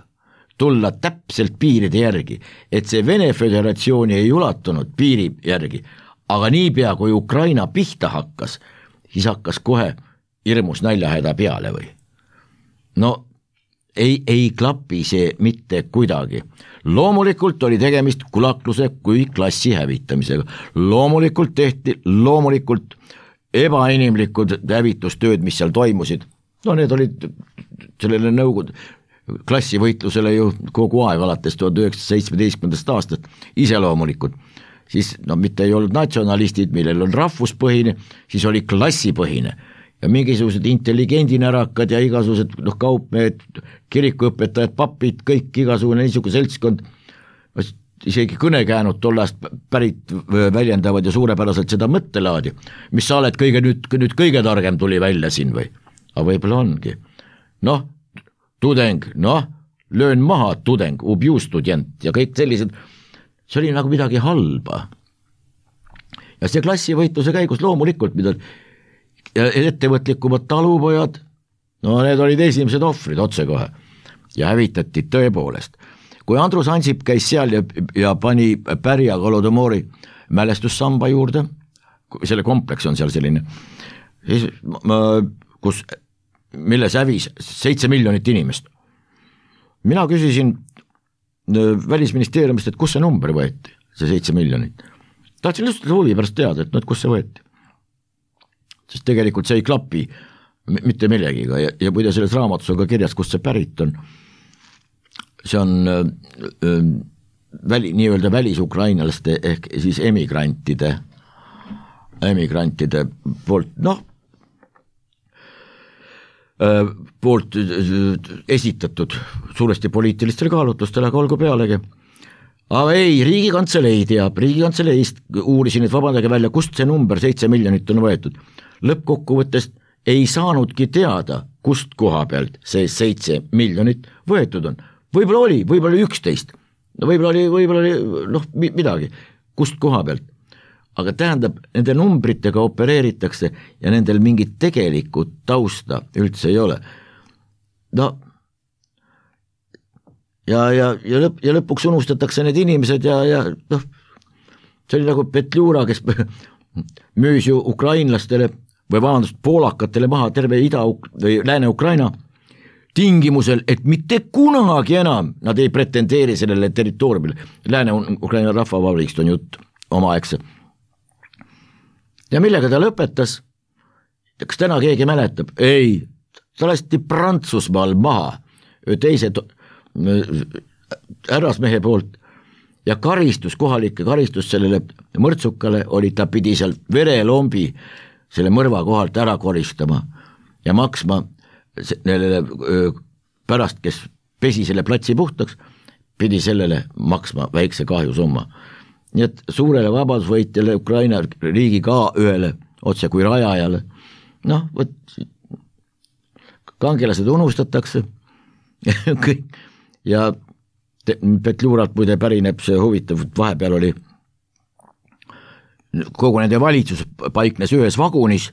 tulla täpselt piiride järgi, et see Vene Föderatsiooni ei ulatunud piiri järgi, aga niipea kui Ukraina pihta hakkas, siis hakkas kohe hirmus näljahäda peale või? No ei klapi see mitte kuidagi. Loomulikult oli tegemist kulakluse kui klassi hävitamisega. Loomulikult tehti ebainimlikud hävitustööd, mis seal toimusid. No need olid sellele Nõukogude klassivõitlusele ju kogu aeg alates 1917. aastast iseloomulikud. Siis mitte ei olnud natsionalistid, millel on rahvuspõhine, siis oli klassipõhine. Ja mingisugused intelligendinärakad ja igasugused kaupmehed, kirikuõpetajad, papid, kõik igasugune niisugune seltskond, isegi kõnekäänud tollast pärit väljendavad ja suurepäraselt seda mõttelaadi, mis sa oled nüüd kõige targem tuli välja siin või? Aga võib-olla ongi. Tudeng, löön maha tudeng, ubju student ja kõik sellised, see oli nagu midagi halba. Ja see klassivõitluse käigus loomulikult, mida ja ettevõtlikumad talupojad, need olid esimesed ohvrid otsekohe ja hävitati tõepoolest. Kui Andrus Ansip käis seal ja pani Pärja Holodomori mälestussamba juurde, selle kompleks on seal selline, milles hävis 7 miljonit inimest. Mina küsisin Välisministeeriumist, et kus see number võeti, see 7 miljonit. Tahtsin lihtsalt huvi pärast teada, et kus see võeti. Sest tegelikult see ei klapi mitte millegiga ja muide selles raamatus on ka kirjas, kust see pärit on. See on nii-öelda välisukrainalaste ehk siis emigrantide poolt, poolt esitatud suuresti poliitilistel kaalutlustel, aga olgu pealegi. Aga ei, Riigikantselei teab, Riigikantseleist uurisin, et vabandage välja, kust see number 7 miljonit on võetud. Lõppkokkuvõttest ei saanudki teada, kust koha pealt see 7 miljonit võetud on. Võib-olla oli 11, võib-olla oli midagi, kust koha pealt. Aga tähendab, nende numbritega opereeritakse ja nendel mingit tegelikku tausta üldse ei ole. Ja lõpuks unustatakse need inimesed ja see oli nagu Petliura, kes müüs ju ukrainlastele või poolakatele maha terve või Lääne-Ukraina tingimusel, et mitte kunagi enam nad ei pretendeeri sellele territooriumile. Lääne-Ukraina rahvavabariigist on jutt omaaegse. Ja millega ta lõpetas? Kas täna keegi mäletab? Ei, ta lasti Prantsusmaal maha teise härrasmehe poolt ja kohalike karistus sellele mõrtsukale oli, ta pidi seal verelombi selle mõrva kohalt ära koristama ja maksma sellele pärast, kes pesi selle platsi puhtaks, pidi sellele maksma väikse kahjusumma. Nii et suurele vabadusvõitjale Ukraina riigi ka ühele otse kui rajajale, kangelased unustatakse ja Petliuralt muide pärineb see huvitav, vahepeal oli kogu nende valitsus paiknes ühes vagunis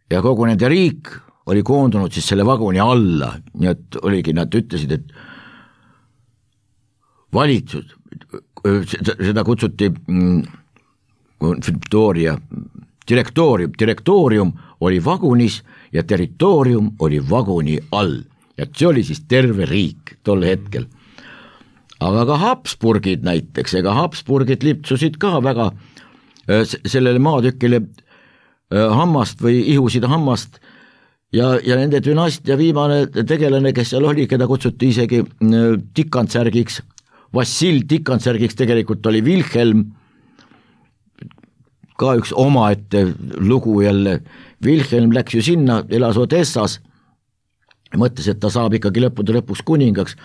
ja kogu nende riik oli koondunud siis selle vaguni alla, nii et oligi, nad ütlesid, et valitsus, seda kutsuti direktoorium oli vagunis ja territoorium oli vaguni all ja see oli siis terve riik tol hetkel. Aga ka Habsburgid näiteks, ega Habsburgid lipsusid ka väga sellele maatükile hammast või ihusid hammast ja nende dünastia viimane tegelane, kes seal oli, keda kutsuti isegi Tikantsärgiks, Vassil Tikantsärgiks tegelikult oli Wilhelm, ka üks omaette lugu jälle. Wilhelm läks ju sinna, elas Odessas mõtles, et ta saab ikkagi lõppude lõpuks kuningaks,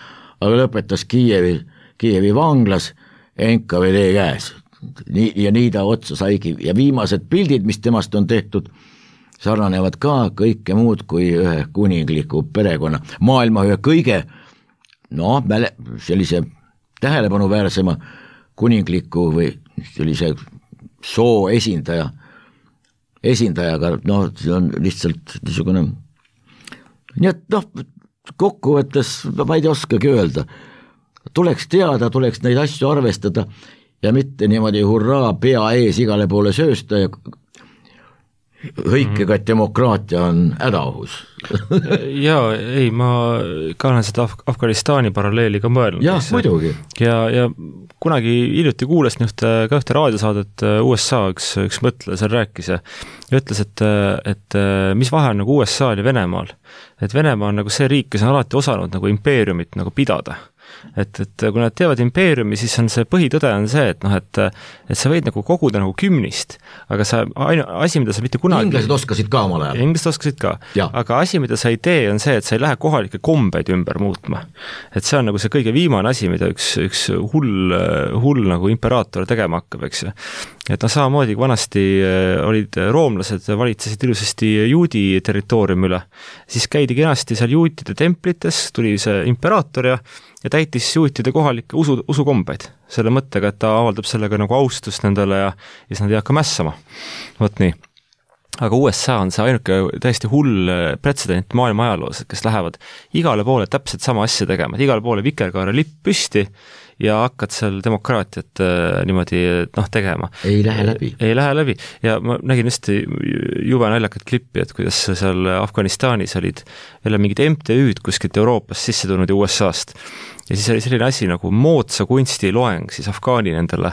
aga lõpetas Kiievi vanglas NKVD käes. Ja nii ta otsa saigi ja viimased pildid, mis temast on tehtud, sarnanevad ka kõike muud kui ühe kuningliku perekonna, maailma ühe kõige sellise tähelepanuväärsema kuningliku või sellise soo esindajaga, see on lihtsalt niisugune, nii et kokkuvõttes ma ei oskagi öelda, tuleks teada, tuleks neid asju arvestada ja mitte niimoodi hurraa pea ees igale poole söösta ja hõikega, et demokraatia on hädaohus. Jaa, ei, ma ka olen seda Afganistani paralleeli ka mõelnud. Jah, muidugi. Ja kunagi hiljuti kuulasin ka ühte raadiosaadet USA, üks mõtleja seal rääkis ja ütles, et mis vahe on nagu USA-l ja Venemaal. Et Venemaa on nagu see riik, kes on alati osanud nagu impeeriumit nagu pidada. Et kui nad teevad impeeriumi, siis on see põhitõde on see, et sa võid nagu koguda nagu kümnist, aga asi, mida sa mitte kunagi... Inglased oskasid ka omal ajal. Inglased oskasid ka, aga asi, mida sa ei tee, on see, et sa ei lähe kohalikke kombeid ümber muutma. Et see on nagu see kõige viimane asi, mida üks hull nagu imperaator tegema hakkab, eks ju. Et samamoodi vanasti olid roomlased, valitsesid ilusasti juudi territooriumi üle, siis käidi kenasti seal juutide templites, tuli see imperaator ja täitis juutide kohalikke usukombeid selle mõttega, et ta avaldab sellega nagu austust nendele ja siis nad ei hakka mässama. Vot nii. Aga USA on see ainuke täiesti hull pretsedent maailma ajaloos, kes lähevad igale poole täpselt sama asja tegema, et igale poole vikerkaare lipp püsti ja hakkad seal demokraatiat niimoodi tegema. Ei lähe läbi. Ei lähe läbi. Ja ma nägin just jube naljakat klippi, et kuidas seal Afganistanis olid jälle mingid MTÜ-d kuskilt Euroopast sisse tulnud ja USA-st. Ja siis oli selline asi nagu moodsa kunsti loeng siis Afgaani nendele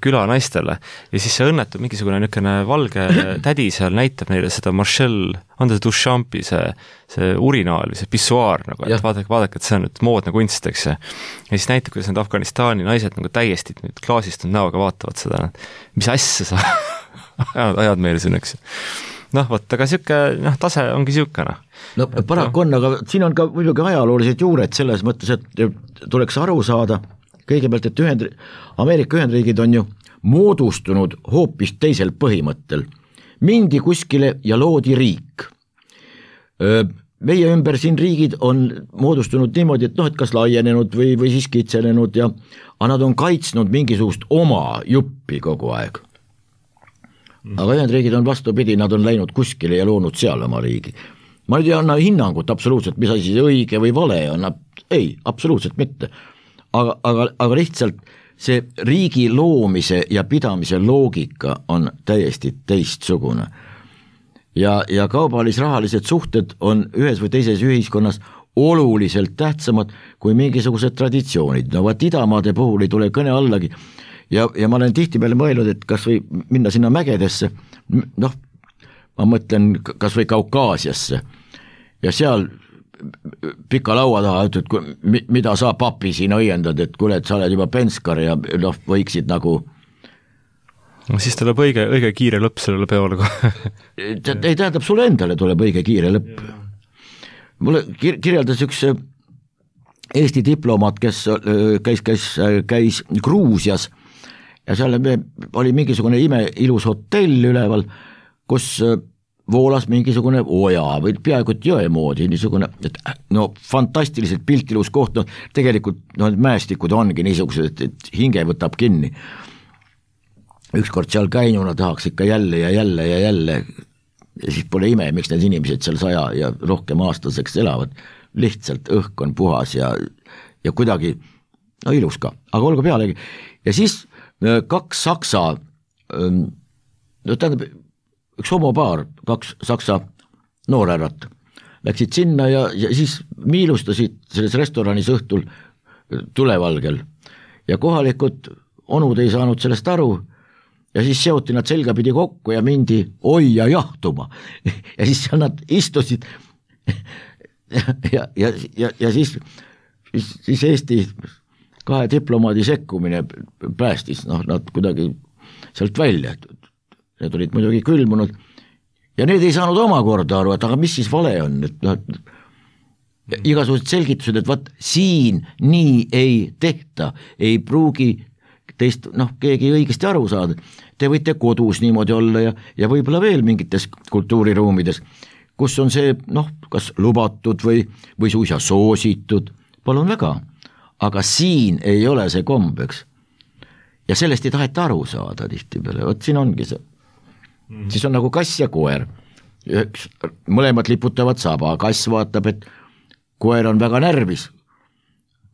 külanaistele ja siis see õnnetab mingisugune niisugune valge tädi seal näitab neile seda Marcel Duchampi see urinaal või see pissuaar nagu, et vaadake, et see on nüüd moodne kunst, eks ja siis näitab, kuidas need Afganistani naised nagu täiesti klaasistunud näoga vaatavad seda, mis asja sa ajad meile siin, eks vot, aga tase ongi siukene. No paraku on, aga siin on ka muidugi ajaloolised juured selles mõttes, et tuleks aru saada kõigepealt, et Ameerika Ühendriigid on ju moodustunud hoopis teisel põhimõttel. Mindi kuskile ja loodi riik. Meie ümber siin riigid on moodustunud niimoodi, et kas laienenud või siis kitsenenud ja nad on kaitsnud mingisugust oma juppi kogu aeg. Aga Ühendriigid on vastupidi, nad on läinud kuskile ja loonud seal oma riigi. Ma ei anna hinnangut absoluutselt, mis asi õige või vale on, ei, absoluutselt mitte. Aga lihtsalt see riigi loomise ja pidamise loogika on täiesti teistsugune. Ja kaubalis-rahalised suhted on ühes või teises ühiskonnas oluliselt tähtsamad kui mingisugused traditsioonid. No vaat idamaade puhul ei tule kõne allagi. Ja ma olen tihtipeale mõelnud, et kas või minna sinna mägedesse, ma mõtlen kas või Kaukaasiasse ja seal pika laua taha, et mida sa papi siin õiendad, et kuule, et sa oled juba penskar ja võiksid nagu... No siis tuleb õige kiire lõpp sellele peole ka. Ei tähendab, sulle endale tuleb õige kiire lõpp. Mulle kirjeldas üks Eesti diplomaat, kes käis Gruusias ja seal oli mingisugune imeilus hotell üleval, kus voolas mingisugune oja või peaaegu jõe moodi, niisugune, et fantastiliselt piltilus koht, tegelikult mäestikud ongi niisugused, et hinge võtab kinni. Ükskord seal käinuna tahaks ikka jälle ja siis pole ime, miks need inimesed seal 100 ja rohkem aastaseks elavad. Lihtsalt õhk on puhas ja kuidagi ilus ka, aga olgu pealegi. Ja siis 2 saksa, tähendab, üks homopaar, 2 saksa noorärrat läksid sinna ja siis miilustasid selles restoranis õhtul tulevalgel ja kohalikud onud ei saanud sellest aru ja siis seoti nad selgapidi kokku ja mindi oia jahtuma ja siis nad istusid ja siis Eesti 2 diplomaadi sekkumine päästis nad kuidagi sealt välja, need olid muidugi külmunud ja need ei saanud omakorda aru, et aga mis siis vale on, et igasugused selgitused, et vaat siin nii ei tehta, ei pruugi teist keegi õigesti aru saada. Te võite kodus niimoodi olla ja võib-olla veel mingites kultuuriruumides, kus on see kas lubatud või suisa soositud, palun väga, aga siin ei ole see kombeks. Ja sellest ei taheta aru saada tihtipeale, vot siin ongi see. Siis on nagu kass ja koer, mõlemad liputavad saba, kass vaatab, et koer on väga närvis,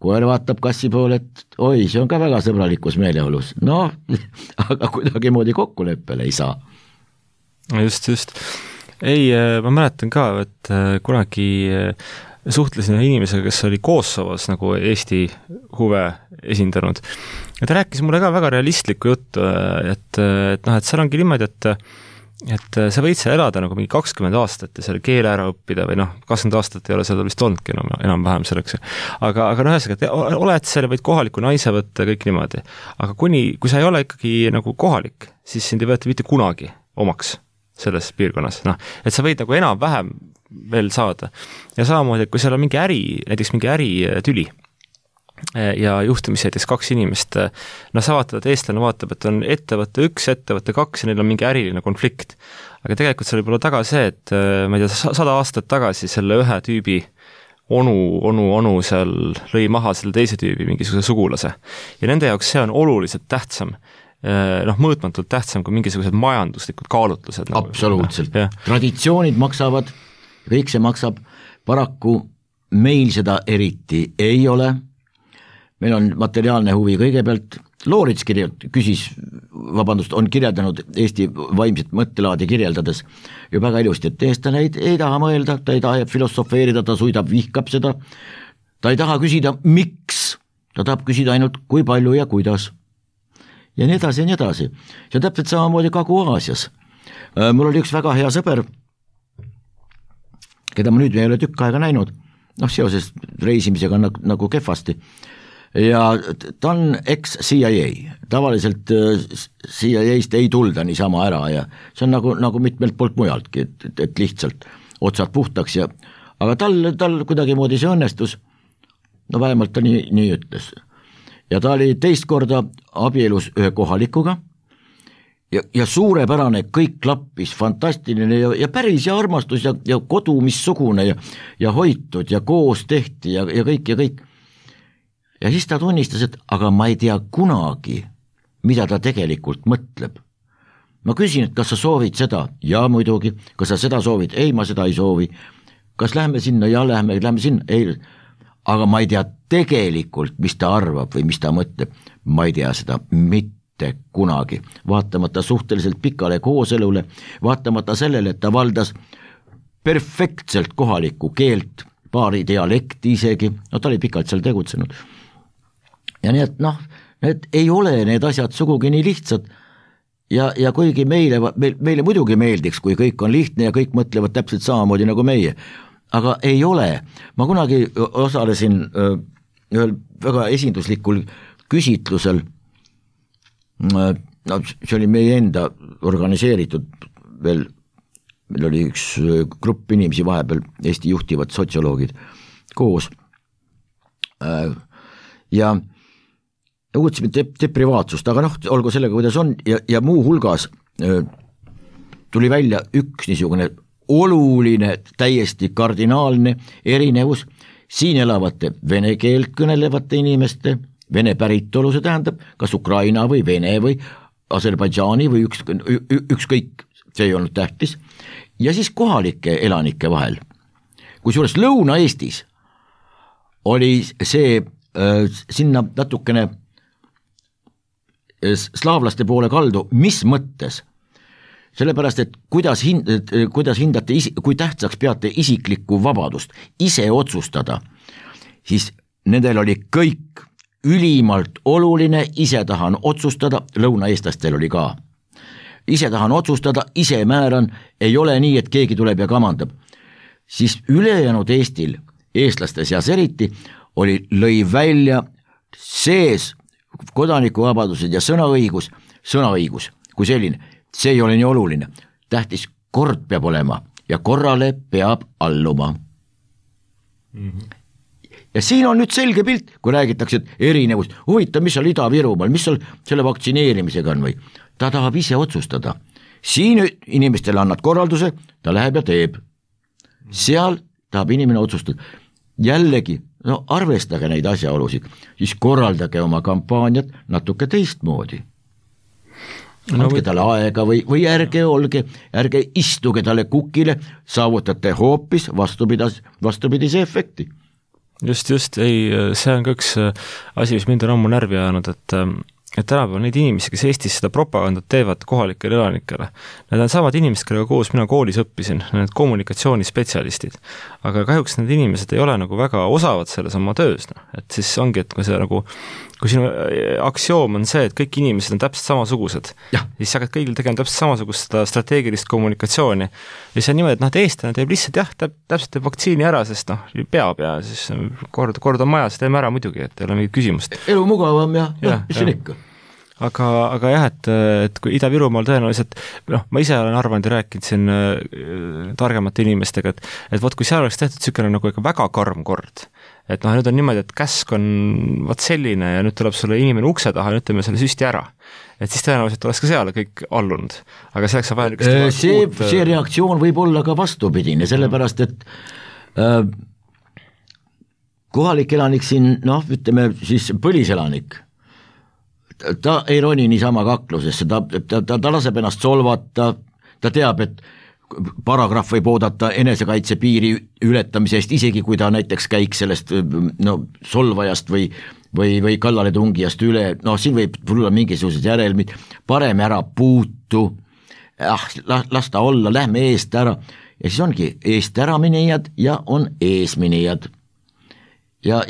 koer vaatab kassi poole, et oi, see on ka väga sõbralikus meeleolus, aga kuidagi moodi kokkuleppele ei saa. Just. Ei, ma mäletan ka, et kunagi suhtlesin inimesega, kes oli Kosovos nagu Eesti huve esindanud. Ja ta rääkis mulle ka väga realistlikku juttu, et seal ongi niimoodi, et sa võid seal elada nagu mingi 20 aastat ja selle keele ära õppida või 20 aastat ei ole seal vist olnudki enam-vähem selleks. Aga ühesõnaga, et oled seal, võid kohaliku naise võtta kõik niimoodi. Aga kui sa ei ole ikkagi nagu kohalik, siis sind ei võeta mitte kunagi omaks selles piirkonnas. Et sa võid nagu enam-vähem veel saada. Ja samamoodi, et kui seal on näiteks mingi äritüli ja juhtumisi näiteks 2 inimest, sa vaatad, et eestlane vaatab, et on ettevõtte 1, ettevõtte 2 ja neil on mingi äriline konflikt. Aga tegelikult seal võib olla taga see, et ma ei tea, 100 aastat tagasi selle ühe tüübi onu seal lõi maha selle teise tüübi mingisuguse sugulase. Ja nende jaoks see on oluliselt tähtsam, mõõtmatult tähtsam kui mingisugused majanduslikud kaalutlused. Absoluutselt. Traditsioonid maksavad, kõik see maksab, paraku meil seda eriti ei ole. Meil on materiaalne huvi kõigepealt, Loorits on kirjeldanud Eesti vaimset mõttelaadi kirjeldades ju väga ilusti, et eestlane ei taha mõelda, ta ei taha filosofeerida, ta suidab, vihkab seda, ta ei taha küsida miks, ta tahab küsida ainult kui palju ja kuidas. Ja nii edasi ja nii edasi. See on täpselt samamoodi Kagu-Aasias. Mul oli üks väga hea sõber, keda ma nüüd ei ole tükk aega näinud, seoses reisimisega nagu kehvasti. Ja ta on ex-CIA, tavaliselt CIA-st ei tulda niisama ära ja see on nagu mitmelt poolt mujaltki, et lihtsalt otsad puhtaks aga tal kuidagi moodi see õnnestus, vähemalt ta nii ütles. Ja ta oli teist korda abielus ühe kohalikuga ja suurepärane, kõik klappis, fantastiline ja päris ja armastus ja kodu missugune ja hoitud ja koos tehti ja kõik. Ja siis ta tunnistas, et aga ma ei tea kunagi, mida ta tegelikult mõtleb. Ma küsin, et kas sa soovid seda? Ja muidugi. Kas sa seda soovid? Ei, ma seda ei soovi. Kas lähme sinna? Ja lähme sinna? Ei. Aga ma ei tea tegelikult, mis ta arvab või mis ta mõtleb. Ma ei tea seda mitte kunagi. Vaatamata suhteliselt pikale kooselule, vaatamata sellele, et ta valdas perfektselt kohalikku keelt, paari dialekti isegi, ta oli pikalt seal tegutsenud. Ja nii, et need ei ole need asjad sugugi nii lihtsad ja kuigi meile muidugi meeldiks, kui kõik on lihtne ja kõik mõtlevad täpselt samamoodi nagu meie, aga ei ole. Ma kunagi osalesin ühel väga esinduslikul küsitlusel, see oli meie enda organiseeritud veel, meil oli üks grupp inimesi vahepeal, Eesti juhtivad sotsioloogid koos ja uudsime deprivaatsust, aga olgu sellega, kuidas on ja muu hulgas tuli välja üks niisugune oluline, täiesti kardinaalne erinevus siin elavate vene keelt kõnelevate inimeste, vene päritolu, see tähendab kas Ukraina või Vene või Aserbaidžaani või ükskõik, see ei olnud tähtis, ja siis kohalike elanike vahel. Kusjuures Lõuna-Eestis oli see sinna natukene slaavlaste poole kaldu, mis mõttes? Sellepärast, et kuidas hindate, kui tähtsaks peate isiklikku vabadust, ise otsustada, siis nendel oli kõik ülimalt oluline, ise tahan otsustada, lõunaeestlastel oli ka. Ise tahan otsustada, ise määran, ei ole nii, et keegi tuleb ja kamandab. Siis ülejäänud Eestil, eestlaste seas eriti, lõi välja sees kodanikuvabadused ja sõnaõigus kui selline, see ei ole nii oluline. Tähtis kord peab olema ja korrale peab alluma. Ja siin on nüüd selge pilt, kui räägitakse, et erinevus, huvitav, mis seal Ida-Virumaal, mis seal selle vaktsineerimisega on või, ta tahab ise otsustada. Siin inimestele annad korralduse, ta läheb ja teeb. Seal tahab inimene otsustada. Jällegi, no arvestage neid asjaolusid, siis korraldage oma kampaaniat natuke teistmoodi. Andke talle aega või ärge istuge talle kukile, saavutate hoopis vastupidise efekti. Just, ei, see on ka üks asi, mis mind on ammu närvi ajanud, et tänapäeval neid inimesi, kes Eestis seda propagandat teevad kohalikele elanikele, need on samad inimesed, kellega koos mina koolis õppisin, need kommunikatsioonispetsialistid, aga kahjuks need inimesed ei ole nagu väga osavad selles oma töös, et siis ongi, et kui see nagu, kui sinu aktsioom on see, et kõik inimesed on täpselt samasugused, siis sa hakkad kõigil tegema täpselt samasugust seda strateegilist kommunikatsiooni ja see on niimoodi, et noh, et eestlane teeb lihtsalt täpselt teeb vaktsiini ära, sest noh, peab ja siis kord on majas, teeme ära muidugi, et ei ole mingit küsimust. Elu mugavam ja mis on ikka. Aga jah, et kui Ida-Virumaal tõenäoliselt, noh, ma ise olen arvanud ja rääkinud siin targemate inimestega, et vot kui seal oleks tehtud niisugune nagu ikka väga karm kord, et noh, nüüd on niimoodi, et käsk on vaat selline ja nüüd tuleb sulle inimene ukse taha ja nüüd teeme selle süsti ära. Et siis tõenäoliselt oleks ka seal kõik allunud, aga selleks on vaja see reaktsioon võib olla ka vastupidine, sellepärast et kohalik elanik siin, noh, ütleme siis põliselanik, ta ei roni niisama kaklusesse, ta laseb ennast solvata, ta teab, et paragrahv võib oodata enesekaitse piiri ületamise eest, isegi kui ta näiteks käiks sellest solvajast või kallaletungijast üle, siin võib tulla mingisugused järelmid, parem ära puutu, las ta olla, lähme eest ära, ja siis ongi eest ära minejad ja on ees minejad. Ja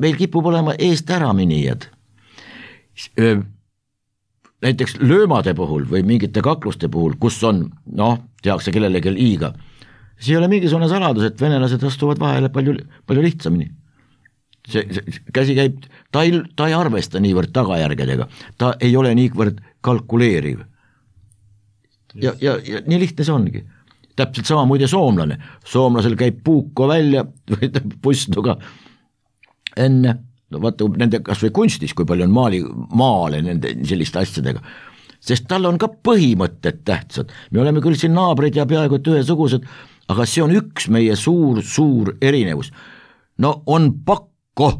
meil kipub olema eest ära minejad. Näiteks löömade puhul või mingite kakluste puhul, kus on, tehakse kellelegi liiga, see ei ole mingisugune saladus, et venelased astuvad vahele palju lihtsamini. See käsi käib, ta ei arvesta niivõrd tagajärgedega, ta ei ole niivõrd kalkuleeriv. Ja nii lihtne see ongi. Täpselt sama muide soomlane. Soomlasel käib puuko välja või pustuga enne, vaata nende kas või kunstis, kui palju on maale nende selliste asjadega, sest tal on ka põhimõtted tähtsad. Me oleme küll siin naabrid ja peaaegu ühesugused, aga see on üks meie suur erinevus. On pakko,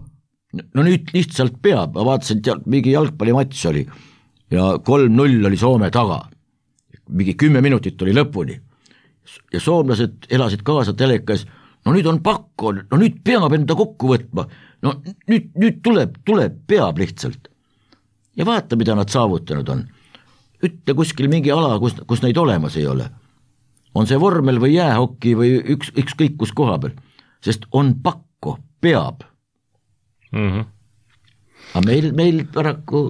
nüüd lihtsalt peab, ma vaatasin, et mingi jalgpallimatš oli ja 3-0 oli Soome taga, mingi 10 minutit oli lõpuni ja soomlased elasid kaasa telekas, nüüd on pakko, nüüd peab enda kokku võtma, nüüd tuleb, peab lihtsalt. Ja vaata, mida nad saavutanud on. Ütle kuskil mingi ala, kus neid olemas ei ole. On see vormel või jäähokki või ükskõik kus koha peal, sest on pakko, peab. Aga meil paraku,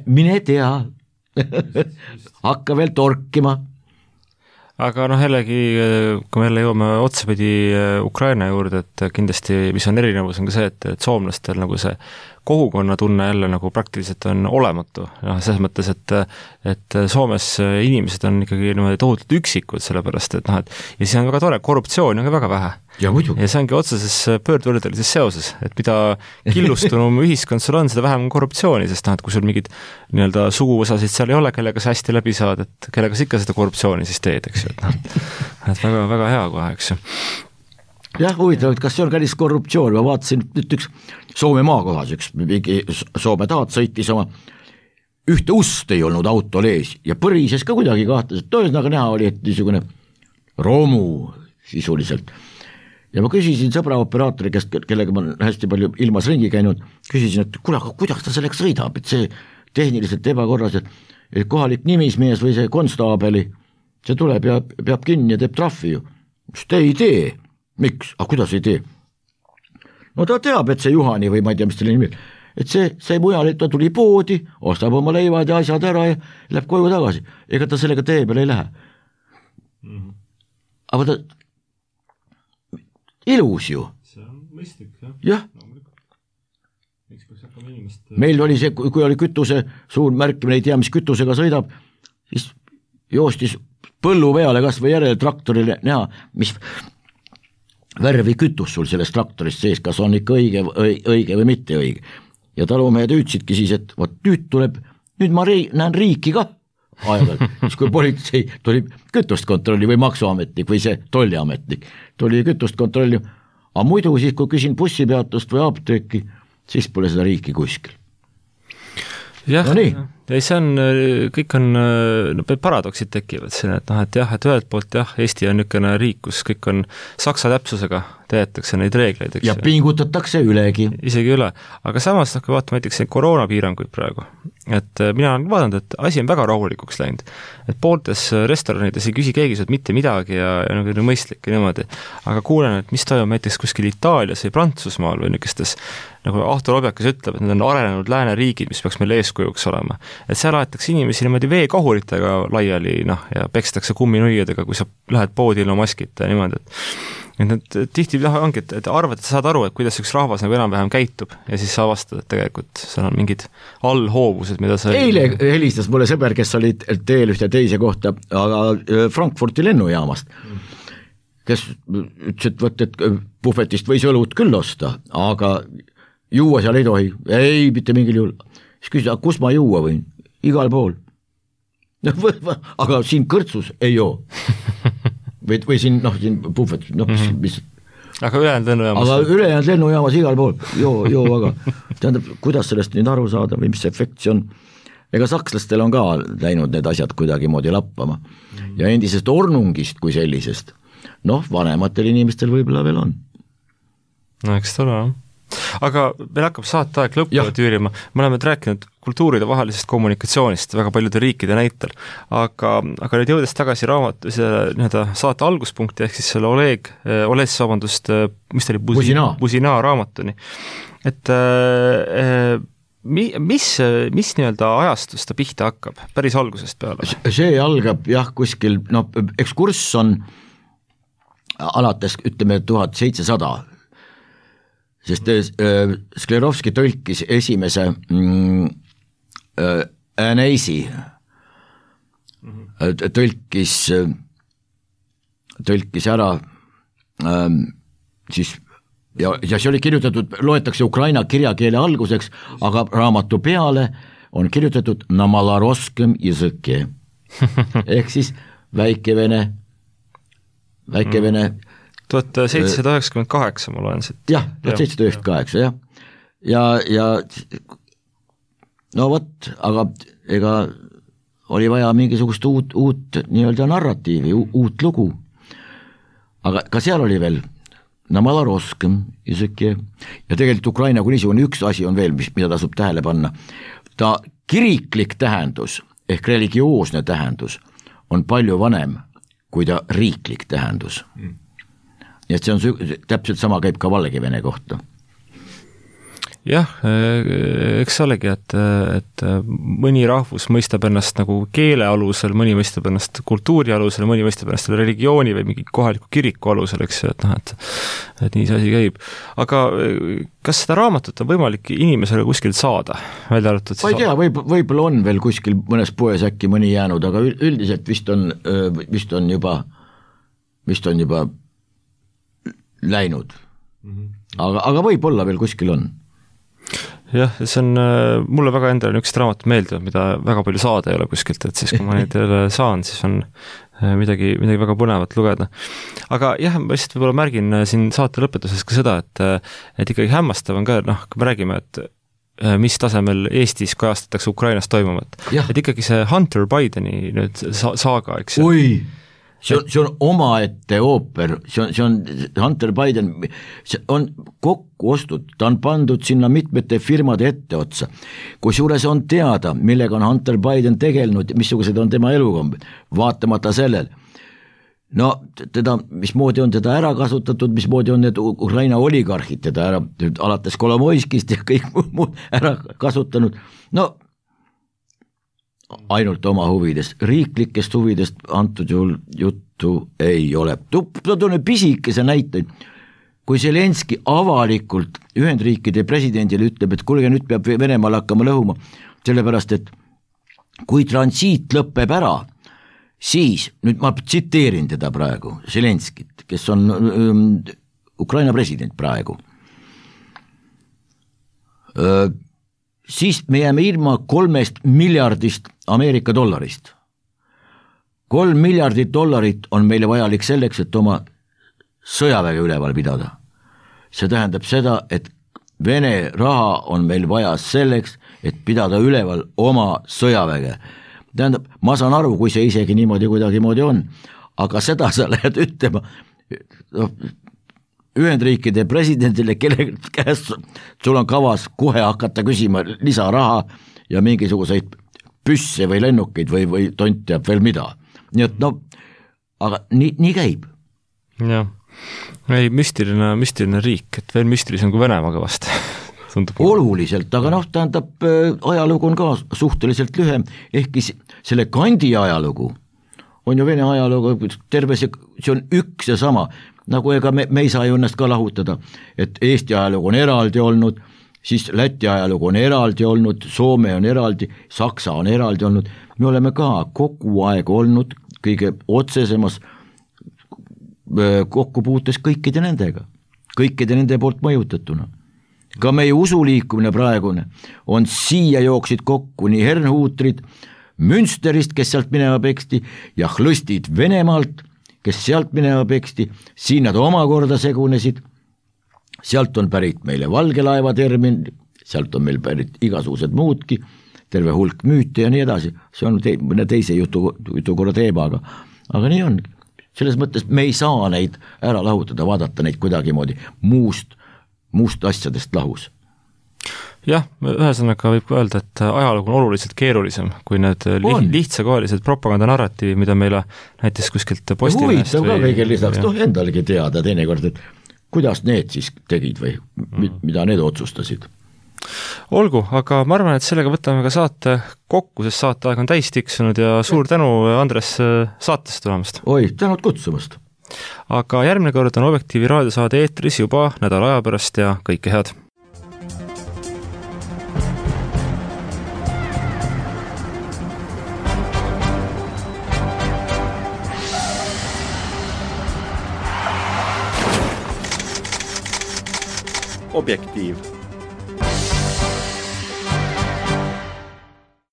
mine tea, hakka veel torkima. Aga jällegi, kui me jälle jõuame otsapidi Ukraina juurde, et kindlasti, mis on erinevus, on ka see, et soomlastel nagu see kogukonna tunne jälle nagu praktiliselt on olematu. Selles mõttes, et Soomes inimesed on ikkagi tohutult üksikud, sellepärast, et ja siis on väga tore, korruptsiooni on ka väga vähe. Ja see ongi otseses pöördvõrdelises seoses, et mida killustunum ühiskond sul on, seda vähem on korruptsiooni, sest et kui sul mingid suguosasid seal ei ole, kellega sa hästi läbi saad, et kellega sa ikka seda korruptsiooni siis teed, eks ju, et väga, väga hea kohe, eks ju. Jah, huvitav, et kas see on kallis korruptsioon, ma vaatasin üks Soome maakohas, üks mingi Soome taat sõitis oma, ühte ust ei olnud autol ees ja põrises ka kuidagi kahtas, et tõesnaga näha oli, et niisugune romu sisuliselt. Ja ma küsisin sõbra operaatori käest, kellega ma hästi palju ilmas ringi käinud, küsisin, et kuidas ta selleks sõidab, et see tehniliselt ebakorras, et kohalik nimismees või see konstaabeli, see tuleb ja peab kinni ja teeb trahvi ju. Just ei tee. Miks? Kuidas ei tee? Ta teab, et see Juhani või ma ei tea, mis teile nimi, et see mujal, et ta tuli poodi, ostab oma leivad ja asjad ära ja läheb koju tagasi. Ega ta sellega tee peale ei lähe. Aga ta ilus ju. See on mõistlik, jah. Meil oli see, kui oli kütuse suur märkimine, ei tea, mis kütusega sõidab, siis joostis põllu peale kas või järele traktorile näha, mis värvi kütus sul sellest traktorist sees, kas on ikka õige või mitte õige. Ja talumehed hüüdsidki siis, et vot nüüd ma näen riiki ka aeg-ajalt, siis kui politsei tuli kütust kontrolli või maksuametnik või see tolliametnik, tuli kütust kontrolli, aga muidu siis, kui küsin bussipeatust või apteeki, siis pole seda riiki kuskil. Jah, no see on, kõik on, paradoksid tekivad siin, et jah, et ühelt poolt jah, Eesti on niisugune riik, kus kõik on saksa täpsusega, täidetakse neid reegleid, eks. Ja pingutatakse ülegi. Isegi üle, aga samas kui vaatame näiteks koroonapiiranguid praegu, et mina olen vaadanud, et asi on väga rahulikuks läinud, et pooltes restoranides ei küsi keegi sult mitte midagi ja nagu mõistlik ja niimoodi, aga kuulen, et mis toimub näiteks kuskil Itaalias või Prantsusmaal või niisugustes, nagu Ahto Lobjakas ütleb, et need on arenenud lääneriigid, mis peaks meil eeskujuks olema. Et seal aetakse inimesi niimoodi veekahuritega laiali, ja pekstakse kumminuiadega, kui sa lähed poodi ilma maskita ja niimoodi, et need tihti ongi, et arvad, et sa saad aru, et kuidas üks rahvas nagu enam-vähem käitub ja siis sa avastad, et tegelikult seal on mingid allhoovused, mida sa eile helistas mulle sõber, kes oli teel ühte teise kohta, aga Frankfurti lennujaamast, kes ütles, et võt, et puhvetist võis õlut küll osta, aga juua seal ei tohi, ei, mitte mingil juhul. Siis küsis, kus ma juua võin? Igal pool. Aga siin kõrtsus ei joo. või siin, siin puhvet, mis... Aga ülejäänud lennujaamas igal pool, joo, aga tähendab, kuidas sellest nüüd aru saada või mis efekt see on? Ega sakslastel on ka läinud need asjad kuidagi moodi lappama. Ja endisest ornungist kui sellisest, vanematel inimestel võib-olla veel on. No eks ta ole, aga meil hakkab saateaeg lõpule tüürima, me oleme rääkinud kultuuride vahelisest kommunikatsioonist väga paljude riikide näitel, aga nüüd jõudes tagasi saate alguspunkti, ehk siis selle mis ta oli, Buzina raamatuni, et mis nii-öelda ajastus ta pihta hakkab, päris algusest peale? See algab kuskil, ekskurss on alates, ütleme, 1700, sest Sklerovski tõlkis esimese Äneisi tõlkis ära siis ja see oli kirjutatud, loetakse Ukraina kirjakeele alguseks, aga raamatu peale on kirjutatud na malaroskem языке ehk siis väikevene 1798 ma loen siit. Jah, 1798, jah. Ja no vot, aga ega oli vaja mingisugust uut nii-öelda narratiivi, uut lugu. Aga ka seal oli veel namaloroskem языке ja tegelikult Ukraina kui niisugune üks asi on veel, mida tasub tähele panna. Ta kiriklik tähendus ehk religioosne tähendus on palju vanem kui ta riiklik tähendus. Ja see on täpselt sama käib ka Valgevene kohta. Jah, eks olegi, et mõni rahvus mõistab ennast nagu keele alusel, mõni mõistab ennast kultuuri alusel, mõni mõistab ennast religiooni või mingi kohaliku kiriku alusel, eks ju, et nii see asi käib. Aga kas seda raamatut on võimalik inimesele kuskil saada? Ma ei tea, võib-olla on veel kuskil mõnes poes äkki mõni jäänud, aga üldiselt vist on juba läinud. Aga võib-olla veel kuskil on. Jah, see on mulle väga endale niisugust raamatut meeldivad, mida väga palju saada ei ole kuskilt, et siis kui ma neid saan, siis on midagi väga põnevat lugeda. Aga jah, ma lihtsalt võib-olla märgin siin saate lõpetuses ka seda, et ikkagi hämmastav on ka, kui me räägime, et mis tasemel Eestis kajastatakse Ukrainas toimuvat. Et ikkagi see Hunter Bideni nüüd saaga, eks ju. See on omaette ooper, see on Hunter Biden, see on kokku ostud, ta on pandud sinna mitmete firmade etteotsa, kusjuures on teada, millega on Hunter Biden tegelenud, missugused on tema elukombed, vaatamata sellel. No mismoodi on teda ära kasutatud, mismoodi on need Ukraina oligarhid teda ära, alates Kolomoiskist ja kõik muud ära kasutanud, ainult oma huvidest, riiklikest huvidest antud juhul juttu ei ole. Toon pisikese näiteid, kui Zelenski avalikult Ühendriikide presidendile ütleb, et kuulge, nüüd peab Venemaal hakkama lõhuma, sellepärast et kui transiit lõpeb ära, siis, nüüd ma tsiteerin teda praegu, Zelenskit, kes on Ukraina president praegu, siis me jääme ilma 3 miljardist Ameerika dollarist. 3 miljardit dollarit on meile vajalik selleks, et oma sõjaväge üleval pidada. See tähendab seda, et Vene raha on meil vaja selleks, et pidada üleval oma sõjaväge. Tähendab, ma saan aru, kui see isegi niimoodi kuidagimoodi on, aga seda sa lähed ütlema Ühendriikide presidendile, kelle käest sul on kavas kohe hakata küsima lisaraha ja mingisuguseid püsse või lennukeid või tont teab veel mida. Nii et aga nii käib. Jah, ei müstiline riik, et veel müstilisem kui Venemaaga vast. Oluliselt, aga tähendab, ajalugu on ka suhteliselt lühem, ehkki selle kandi ajalugu on ju Vene ajalugu terve see on üks ja sama, nagu ega me ei saa ju ennast ka lahutada, et Eesti ajalugu on eraldi olnud, siis Läti ajalugu on eraldi olnud, Soome on eraldi, Saksa on eraldi olnud, me oleme ka kogu aeg olnud kõige otsesemas kokkupuutes kõikide nende poolt mõjutatuna. Ka meie usuliikumine praegune on siia jooksid kokku nii Herrnhutrid Münsterist, kes sealt minema peksti, ja Hlõstid Venemaalt, kes sealt minema peksti, siin nad omakorda segunesid, sealt on pärit meile valgelaeva termin, sealt on meil pärit igasugused muudki, terve hulk müüte ja nii edasi, see on mõne teise jutukorra teema, aga nii on. Selles mõttes me ei saa neid ära lahutada, vaadata neid kuidagimoodi muust asjadest lahus. Jah, ühesõnaga võib öelda, et ajalugu on oluliselt keerulisem kui need lihtsakoelised propagandanarratiivi, mida meile näiteks kuskilt Postimehest huvitav ka kõigil lisaks, endalegi teada teinekord, et kuidas need siis tegid või mida need otsustasid. Olgu, aga ma arvan, et sellega võtame ka saate kokku, sest saateaeg on täis tiksunud ja suur tänu, Andres, saatesse tulemast. Oi, tänud kutsumast. Aga järgmine kord on Objektiivi raadiosaade eetris juba nädala aja pärast ja kõike head. Objektiiv.